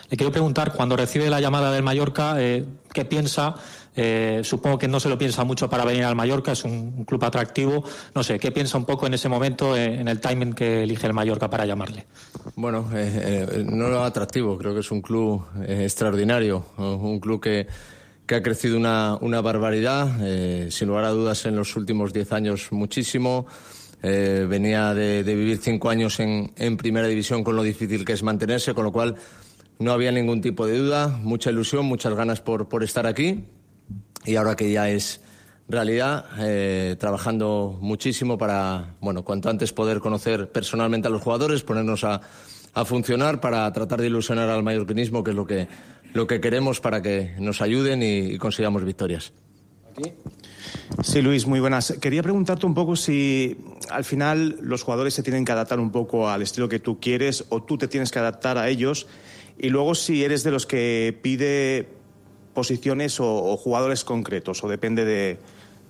le quiero preguntar, cuando recibe la llamada del Mallorca, eh, ¿qué piensa? Eh, supongo que no se lo piensa mucho para venir al Mallorca, es un, un club atractivo. No sé, ¿qué piensa un poco en ese momento, eh, en el timing que elige el Mallorca para llamarle? Bueno, eh, eh, no atractivo, creo que es un club eh, extraordinario, un club que, que ha crecido una, una barbaridad, eh, sin lugar a dudas en los últimos diez años muchísimo. Eh, venía de, de vivir cinco años en, en primera división con lo difícil que es mantenerse, con lo cual no había ningún tipo de duda, mucha ilusión, muchas ganas por, por estar aquí, y ahora que ya es realidad, eh, trabajando muchísimo para, bueno, cuanto antes poder conocer personalmente a los jugadores, ponernos a, a funcionar para tratar de ilusionar al mallorquinismo, que es lo que, lo que queremos para que nos ayuden y, y consigamos victorias. Aquí. Sí, Luis, muy buenas. Quería preguntarte un poco si al final los jugadores se tienen que adaptar un poco al estilo que tú quieres o tú te tienes que adaptar a ellos, y luego si eres de los que pide posiciones o, o jugadores concretos, o depende de,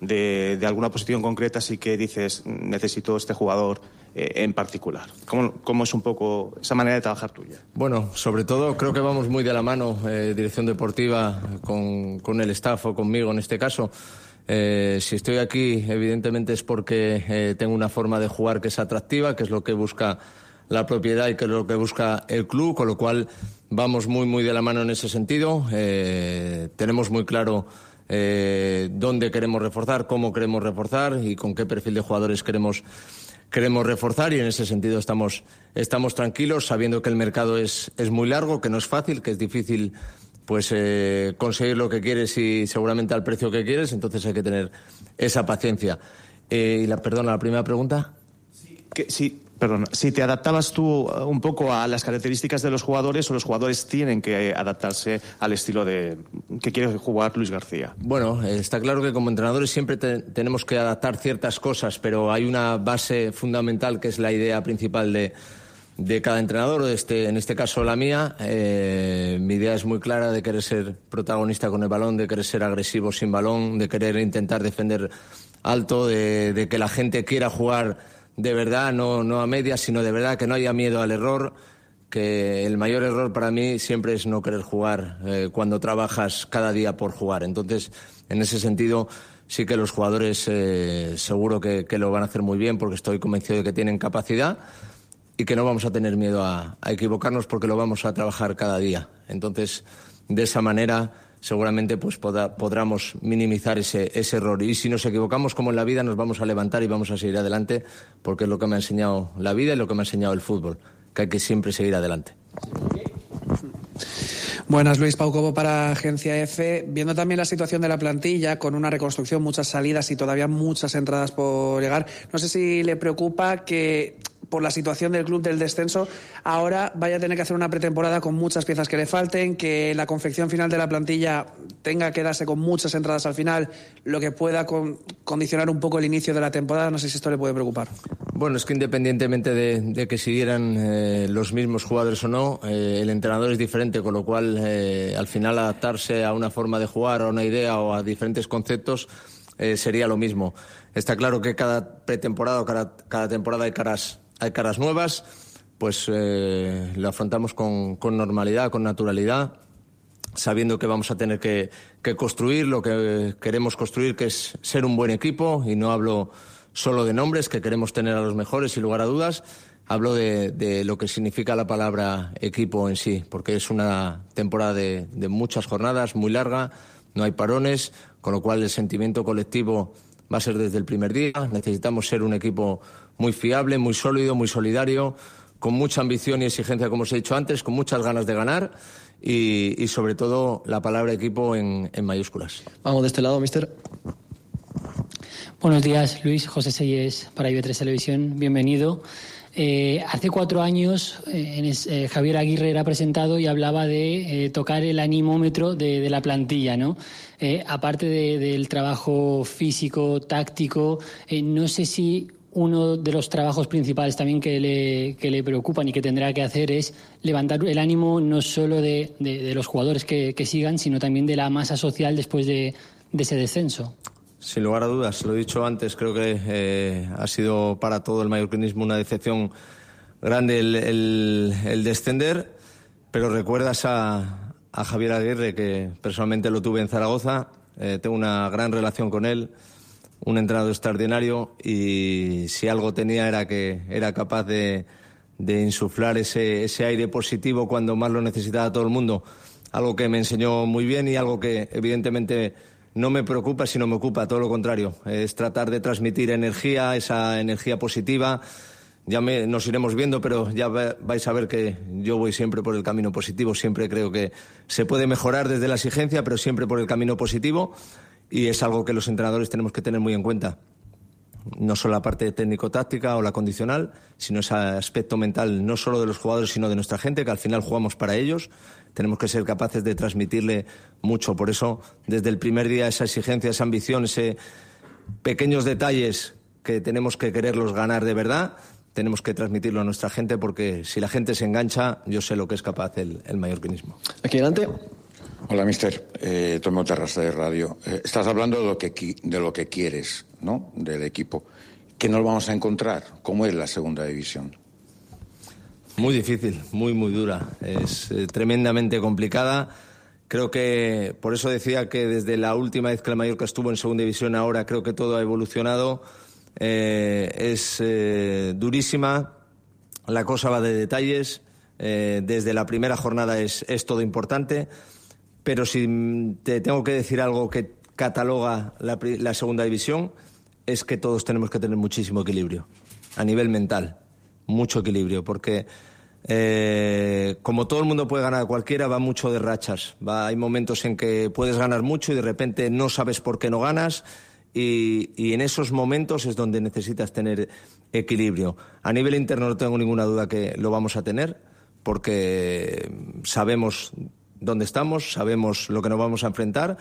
de, de alguna posición concreta, así que dices necesito este jugador eh, en particular. ¿Cómo, ¿Cómo es un poco esa manera de trabajar tuya? Bueno, sobre todo creo que vamos muy de la mano, eh, dirección deportiva, con, con el staff o conmigo en este caso. Eh, si estoy aquí, evidentemente es porque eh, tengo una forma de jugar que es atractiva, que es lo que busca la propiedad y que es lo que busca el club, con lo cual vamos muy, muy de la mano en ese sentido. Eh, tenemos muy claro eh, dónde queremos reforzar, cómo queremos reforzar y con qué perfil de jugadores queremos queremos reforzar, y en ese sentido estamos, estamos tranquilos, sabiendo que el mercado es, es muy largo, que no es fácil, que es difícil pues eh, conseguir lo que quieres y seguramente al precio que quieres, entonces hay que tener esa paciencia. Eh, y la, perdona, la primera pregunta. Que, sí, perdón, si te adaptabas tú un poco a las características de los jugadores o los jugadores tienen que adaptarse al estilo de que quiere jugar Luis García. Bueno, está claro que como entrenadores siempre te, tenemos que adaptar ciertas cosas, pero hay una base fundamental que es la idea principal de, de cada entrenador, este, en este caso la mía. Eh, mi idea es muy clara de querer ser protagonista con el balón, de querer ser agresivo sin balón, de querer intentar defender alto, de, de que la gente quiera jugar de verdad, no, no a medias, sino de verdad, que no haya miedo al error, que el mayor error para mí siempre es no querer jugar eh, cuando trabajas cada día por jugar. Entonces, en ese sentido, sí que los jugadores eh, seguro que, que lo van a hacer muy bien, porque estoy convencido de que tienen capacidad y que no vamos a tener miedo a, a equivocarnos, porque lo vamos a trabajar cada día. Entonces, de esa manera seguramente pues podrá, podremos minimizar ese, ese error. Y si nos equivocamos, como en la vida, nos vamos a levantar y vamos a seguir adelante, porque es lo que me ha enseñado la vida y lo que me ha enseñado el fútbol, que hay que siempre seguir adelante. Buenas, Luis. Pau Cobo para Agencia F. Viendo también la situación de la plantilla, con una reconstrucción, muchas salidas y todavía muchas entradas por llegar, no sé si le preocupa que, por la situación del club del descenso, ahora vaya a tener que hacer una pretemporada con muchas piezas que le falten, que la confección final de la plantilla tenga que darse con muchas entradas al final, lo que pueda con, condicionar un poco el inicio de la temporada. No sé si esto le puede preocupar. Bueno, es que independientemente de, de que siguieran eh, los mismos jugadores o no, eh, el entrenador es diferente, con lo cual eh, al final adaptarse a una forma de jugar, a una idea o a diferentes conceptos eh, sería lo mismo. Está claro que cada pretemporada o cada, cada temporada hay caras hay caras nuevas, pues eh, lo afrontamos con, con normalidad, con naturalidad, sabiendo que vamos a tener que, que construir lo que queremos construir, que es ser un buen equipo, y no hablo solo de nombres, que queremos tener a los mejores sin lugar a dudas, hablo de, de lo que significa la palabra equipo en sí, porque es una temporada de, de muchas jornadas, muy larga, no hay parones, con lo cual el sentimiento colectivo va a ser desde el primer día. Necesitamos ser un equipo muy fiable, muy sólido, muy solidario, con mucha ambición y exigencia, como os he dicho antes, con muchas ganas de ganar y, y sobre todo, la palabra equipo en, en mayúsculas. Vamos de este lado, mister. Buenos días, Luis. José Selles para I B tres Televisión. Bienvenido. Eh, hace cuatro años eh, en es, eh, Javier Aguirre era presentado y hablaba de eh, tocar el anímómetro de, de la plantilla, ¿no? Eh, aparte de, del trabajo físico, táctico, eh, no sé si uno de los trabajos principales también que le, que le preocupan y que tendrá que hacer es levantar el ánimo no solo de, de, de los jugadores que, que sigan, sino también de la masa social después de, de ese descenso. Sin lugar a dudas, lo he dicho antes, creo que eh, ha sido para todo el mallorquinismo una decepción grande el, el, el descender, pero recuerdas a, a Javier Aguirre, que personalmente lo tuve en Zaragoza, eh, tengo una gran relación con él, un entrenador extraordinario, y si algo tenía era que era capaz de, de insuflar ese, ese aire positivo cuando más lo necesitaba todo el mundo, algo que me enseñó muy bien y algo que evidentemente no me preocupa, sino me ocupa, todo lo contrario. Es tratar de transmitir energía, esa energía positiva. Ya me, nos iremos viendo, pero ya vais a ver que yo voy siempre por el camino positivo. Siempre creo que se puede mejorar desde la exigencia, pero siempre por el camino positivo. Y es algo que los entrenadores tenemos que tener muy en cuenta. No solo la parte técnico-táctica o la condicional, sino ese aspecto mental, no solo de los jugadores, sino de nuestra gente, que al final jugamos para ellos. Tenemos que ser capaces de transmitirle mucho. Por eso, desde el primer día, esa exigencia, esa ambición, esos pequeños detalles que tenemos que quererlos ganar de verdad, tenemos que transmitirlo a nuestra gente, porque si la gente se engancha, yo sé lo que es capaz el, el mallorquinismo. Aquí delante. Hola, mister. Eh, Tomo Terrassa de Radio. Eh, estás hablando de lo, que, de lo que quieres, ¿no?, del equipo. que no lo vamos a encontrar, como es la segunda división. Muy difícil, muy, muy dura. Es eh, tremendamente complicada. Creo que, por eso decía que desde la última vez que el Mallorca estuvo en segunda división, ahora creo que todo ha evolucionado. Eh, es eh, durísima, la cosa va de detalles. Eh, desde la primera jornada es, es todo importante. Pero si te tengo que decir algo que cataloga la, la segunda división, es que todos tenemos que tener muchísimo equilibrio, a nivel mental, mucho equilibrio, porque eh, como todo el mundo puede ganar a cualquiera, va mucho de rachas. Va, hay momentos en que puedes ganar mucho y de repente no sabes por qué no ganas, y, y en esos momentos es donde necesitas tener equilibrio. A nivel interno no tengo ninguna duda que lo vamos a tener, porque sabemos dónde estamos, sabemos lo que nos vamos a enfrentar,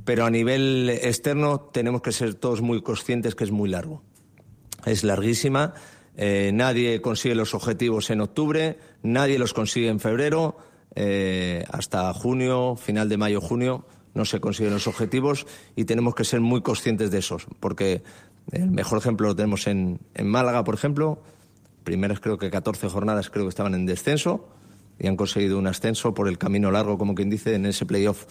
pero a nivel externo tenemos que ser todos muy conscientes que es muy largo. Es larguísima, eh, nadie consigue los objetivos en octubre, nadie los consigue en febrero, eh, hasta junio, final de mayo, junio, no se consiguen los objetivos y tenemos que ser muy conscientes de esos, porque el mejor ejemplo lo tenemos en, en Málaga, por ejemplo. Primeras creo que catorce jornadas creo que estaban en descenso y han conseguido un ascenso por el camino largo, como quien dice, en ese playoff.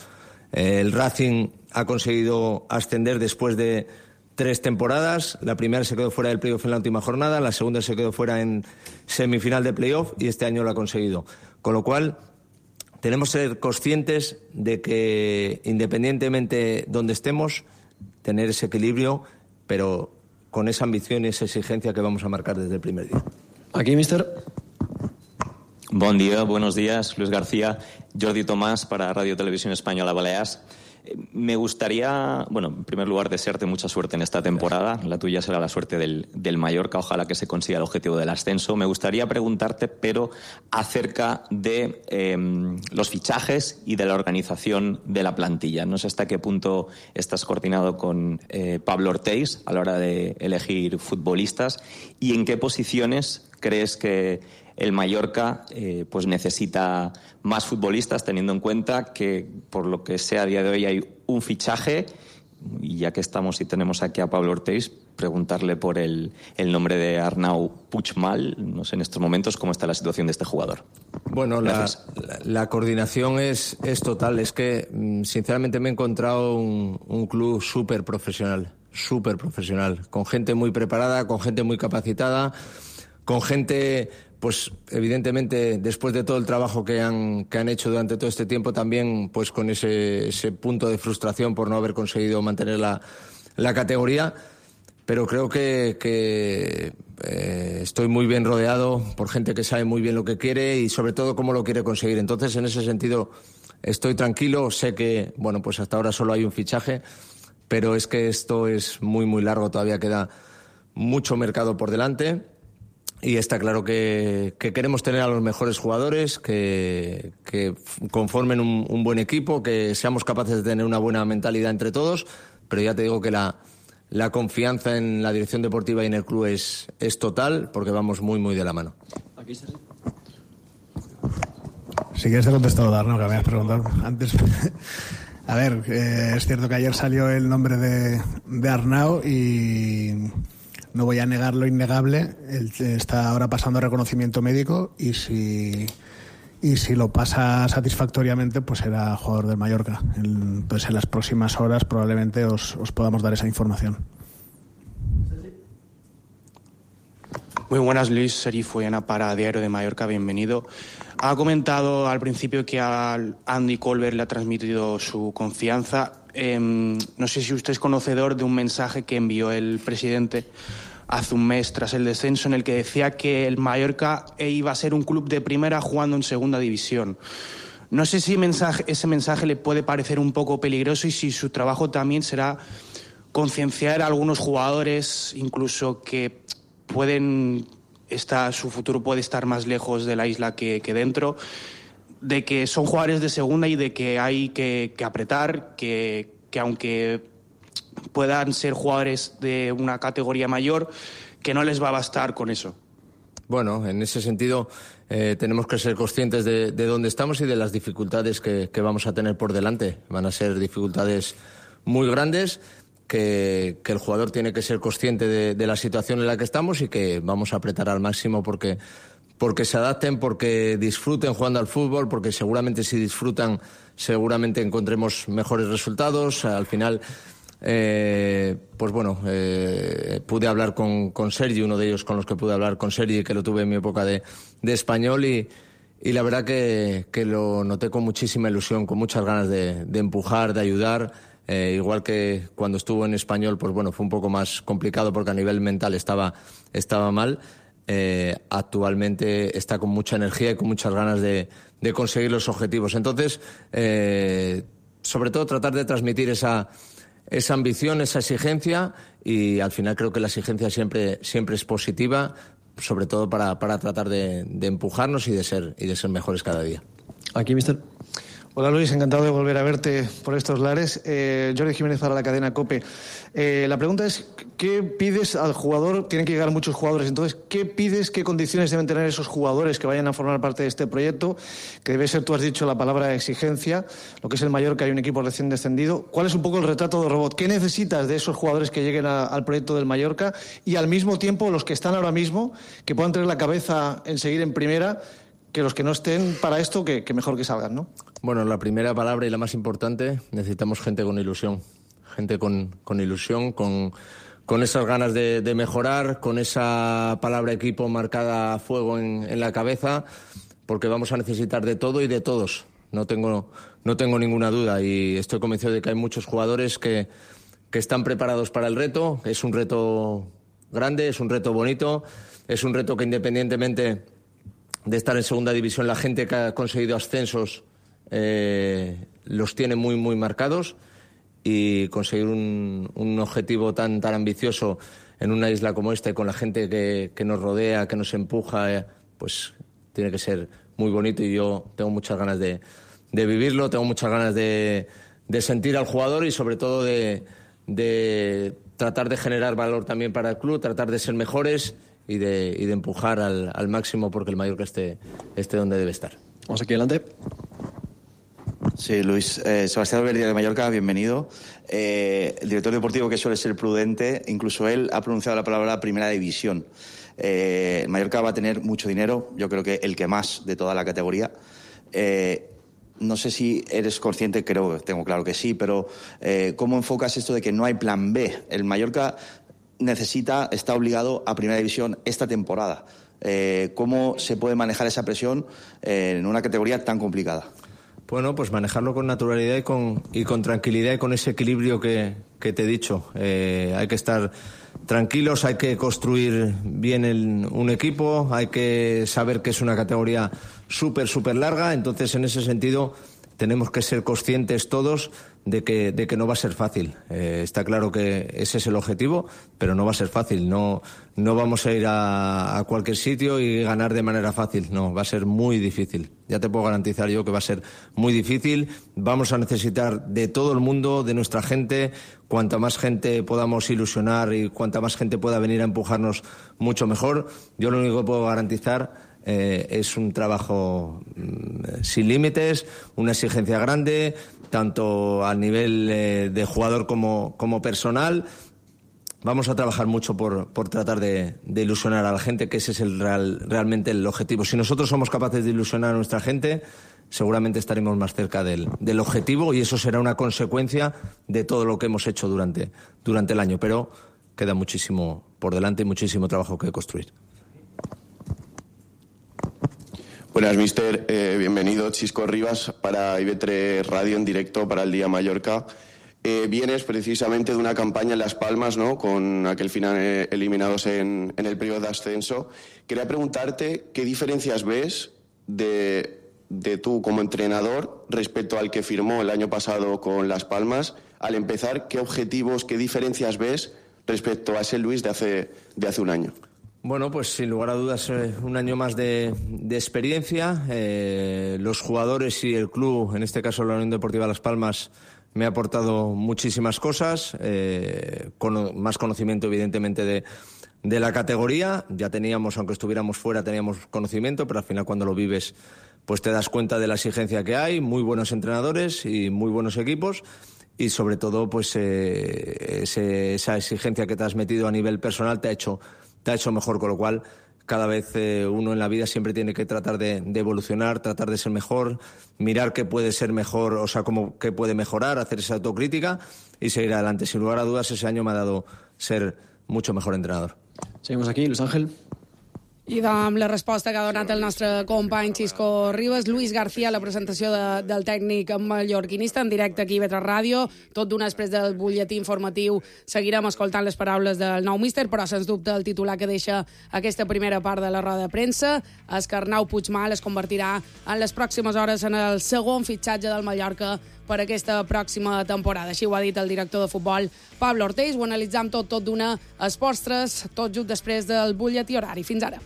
El Racing ha conseguido ascender después de tres temporadas. La primera se quedó fuera del playoff en la última jornada, la segunda se quedó fuera en semifinal de playoff y este año lo ha conseguido. Con lo cual, tenemos que ser conscientes de que, independientemente donde estemos, tener ese equilibrio, pero con esa ambición y esa exigencia que vamos a marcar desde el primer día. Aquí, mister. Bon dia, buenos días, Luis García, Jordi Tomás para Radio Televisión Española Baleares. Me gustaría, bueno, en primer lugar, desearte mucha suerte en esta temporada. La tuya será la suerte del, del Mallorca, ojalá que se consiga el objetivo del ascenso. Me gustaría preguntarte, pero acerca de eh, los fichajes y de la organización de la plantilla. No sé hasta qué punto estás coordinado con eh, Pablo Ortiz a la hora de elegir futbolistas y en qué posiciones crees que el Mallorca eh, pues necesita más futbolistas, teniendo en cuenta que, por lo que sé, a día de hoy hay un fichaje, y ya que estamos y tenemos aquí a Pablo Ortiz, preguntarle por el, el nombre de Arnau Puigmal. No sé en estos momentos cómo está la situación de este jugador. Bueno, la, la, la coordinación es, es total. Es que, sinceramente, me he encontrado un, un club súper profesional, súper profesional, con gente muy preparada, con gente muy capacitada, con gente... Pues evidentemente, después de todo el trabajo que han, que han hecho durante todo este tiempo, también pues con ese, ese punto de frustración por no haber conseguido mantener la, la categoría. Pero creo que, que eh, estoy muy bien rodeado por gente que sabe muy bien lo que quiere y sobre todo cómo lo quiere conseguir. Entonces, en ese sentido, estoy tranquilo. Sé que, bueno, pues hasta ahora solo hay un fichaje, pero es que esto es muy, muy largo. Todavía queda mucho mercado por delante. Y está claro que, que queremos tener a los mejores jugadores, que, que conformen un, un buen equipo, que seamos capaces de tener una buena mentalidad entre todos, pero ya te digo que la, la confianza en la dirección deportiva y en el club es, es total, porque vamos muy, muy de la mano. Aquí está. Si quieres te contesto, Darno, que me habías preguntado antes. A ver, eh, es cierto que ayer salió el nombre de, de Arnau y... No voy a negar lo innegable, él está ahora pasando reconocimiento médico y si, y si lo pasa satisfactoriamente, pues será jugador del Mallorca. Entonces, en las próximas horas probablemente os, os podamos dar esa información. Muy buenas, Luis. Sergi Fuena para Diario de Mallorca, bienvenido. Ha comentado al principio que a Andy Colbert le ha transmitido su confianza. Eh, no sé si usted es conocedor de un mensaje que envió el presidente hace un mes tras el descenso, en el que decía que el Mallorca iba a ser un club de primera jugando en segunda división. No sé si mensaje, ese mensaje le puede parecer un poco peligroso y si su trabajo también será concienciar a algunos jugadores, incluso que pueden estar, su futuro puede estar más lejos de la isla que, que dentro, de que son jugadores de segunda y de que hay que, que apretar, que, que aunque puedan ser jugadores de una categoría mayor, que no les va a bastar con eso. Bueno, en ese sentido eh, tenemos que ser conscientes de, de dónde estamos y de las dificultades que, que vamos a tener por delante. Van a ser dificultades muy grandes que, que el jugador tiene que ser consciente de, de la situación en la que estamos y que vamos a apretar al máximo porque, porque se adapten, porque disfruten jugando al fútbol, porque seguramente si disfrutan, seguramente encontremos mejores resultados. Al final, eh, pues bueno, eh, pude hablar con, con Sergi, uno de ellos con los que pude hablar con Sergi, que lo tuve en mi época de, de español, y, y la verdad que, que lo noté con muchísima ilusión, con muchas ganas de, de empujar, de ayudar. Eh, igual que cuando estuvo en español, pues bueno, fue un poco más complicado porque a nivel mental estaba, estaba mal. Eh, actualmente está con mucha energía y con muchas ganas de, de conseguir los objetivos. Entonces, eh, sobre todo tratar de transmitir esa, esa ambición, esa exigencia, y al final creo que la exigencia siempre, siempre es positiva, sobre todo para, para tratar de, de empujarnos y de ser, y de ser mejores cada día. Aquí, mister. Hola Luis, encantado de volver a verte por estos lares. Eh, Jordi Jiménez para la cadena COPE. Eh, la pregunta es, ¿qué pides al jugador? Tienen que llegar muchos jugadores, entonces, ¿qué pides, qué condiciones deben tener esos jugadores que vayan a formar parte de este proyecto? Que debe ser, tú has dicho la palabra exigencia, lo que es el Mallorca, hay un equipo recién descendido. ¿Cuál es un poco el retrato de robot? ¿Qué necesitas de esos jugadores que lleguen a, al proyecto del Mallorca? Y al mismo tiempo, los que están ahora mismo, que puedan tener la cabeza en seguir en primera, que los que no estén para esto, que, que mejor que salgan, ¿no? Bueno, la primera palabra y la más importante, necesitamos gente con ilusión. Gente con, con ilusión, con, con esas ganas de, de mejorar, con esa palabra equipo marcada a fuego en, en la cabeza, porque vamos a necesitar de todo y de todos. No tengo, no tengo ninguna duda, y estoy convencido de que hay muchos jugadores que, que están preparados para el reto. Es un reto grande, es un reto bonito, es un reto que, independientemente de estar en segunda división, la gente que ha conseguido ascensos eh, los tiene muy, muy marcados, y conseguir un, un objetivo tan, tan ambicioso en una isla como esta y con la gente que, que nos rodea, que nos empuja, eh, pues tiene que ser muy bonito, y yo tengo muchas ganas de, de vivirlo, tengo muchas ganas de, de sentir al jugador y sobre todo de, de tratar de generar valor también para el club, tratar de ser mejores y de, y de empujar al, al máximo porque el Mallorca esté, esté donde debe estar. Vamos aquí adelante. Sí, Luis. Eh, Sebastián Alberdi de Mallorca, bienvenido. Eh, el director deportivo, que suele ser prudente, incluso él ha pronunciado la palabra primera división. Eh, Mallorca va a tener mucho dinero, yo creo que el que más de toda la categoría. Eh, no sé si eres consciente, creo, tengo claro que sí, pero eh, ¿cómo enfocas esto de que no hay plan B? El Mallorca necesita, está obligado a primera división esta temporada. Eh, ¿Cómo se puede manejar esa presión eh, en una categoría tan complicada? Bueno, pues manejarlo con naturalidad y con, y con tranquilidad y con ese equilibrio que, que te he dicho. Eh, hay que estar tranquilos, hay que construir bien el, un equipo, hay que saber que es una categoría súper, súper larga. Entonces, en ese sentido, tenemos que ser conscientes todos de que, de que no va a ser fácil. Eh, está claro que ese es el objetivo, pero no va a ser fácil. No, no vamos a ir a, a cualquier sitio y ganar de manera fácil. No, va a ser muy difícil. Ya te puedo garantizar yo que va a ser muy difícil. Vamos a necesitar de todo el mundo, de nuestra gente. Cuanta más gente podamos ilusionar y cuanta más gente pueda venir a empujarnos, mucho mejor. Yo lo único que puedo garantizar Eh, es un trabajo mm, sin límites, una exigencia grande, tanto a nivel eh, de jugador como, como personal. Vamos a trabajar mucho por, por tratar de, de ilusionar a la gente, que ese es el real, realmente el objetivo. Si nosotros somos capaces de ilusionar a nuestra gente, seguramente estaremos más cerca del, del objetivo, y eso será una consecuencia de todo lo que hemos hecho durante, durante el año. Pero queda muchísimo por delante y muchísimo trabajo que construir. Buenas, mister. Eh, bienvenido, Chisco Rivas, para I B tres Radio en directo para el Día Mallorca. Eh, vienes precisamente de una campaña en Las Palmas, ¿no?, con aquel final eh, eliminados en, en el periodo de ascenso. Quería preguntarte qué diferencias ves de, de tú como entrenador respecto al que firmó el año pasado con Las Palmas. Al empezar, ¿qué objetivos, qué diferencias ves respecto a ese Luis de hace, de hace un año? Bueno, pues sin lugar a dudas eh, un año más de, de experiencia. Eh, los jugadores y el club, en este caso la Unión Deportiva Las Palmas, me ha aportado muchísimas cosas, eh, con más conocimiento evidentemente de, de la categoría. Ya teníamos, aunque estuviéramos fuera, teníamos conocimiento, pero al final cuando lo vives pues te das cuenta de la exigencia que hay, muy buenos entrenadores y muy buenos equipos. y sobre todo pues eh, ese, esa exigencia que te has metido a nivel personal te ha hecho, te ha hecho mejor, con lo cual cada vez eh, uno en la vida siempre tiene que tratar de, de evolucionar, tratar de ser mejor, mirar qué puede ser mejor, o sea, cómo, qué puede mejorar, hacer esa autocrítica y seguir adelante. Sin lugar a dudas, ese año me ha dado ser mucho mejor entrenador. Seguimos aquí, Luis Ángel. I amb la resposta que ha donat el nostre company Xisco Ribas, Luis García, la presentació de, del tècnic mallorquinista en directe aquí a I V tres Ràdio. Tot d'una després del butlletí informatiu seguirem escoltant les paraules del nou míster, però sens dubte el titular que deixa aquesta primera part de la roda de premsa és que Arnau Puigmal es convertirà en les pròximes hores en el segon fitxatge del Mallorca per aquesta pròxima temporada. Així ho ha dit el director de futbol Pablo Ortells. Ho analitzam tot, tot d'una Esports tres, tot just després del butlletí horari. Fins ara.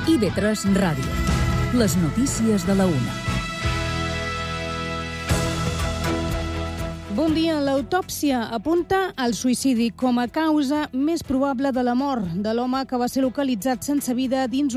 I V tres Ràdio. Les notícies de la una. Bon dia. L'autòpsia apunta al suïcidi com a causa més probable de la mort de l'home que va ser localitzat sense vida dins un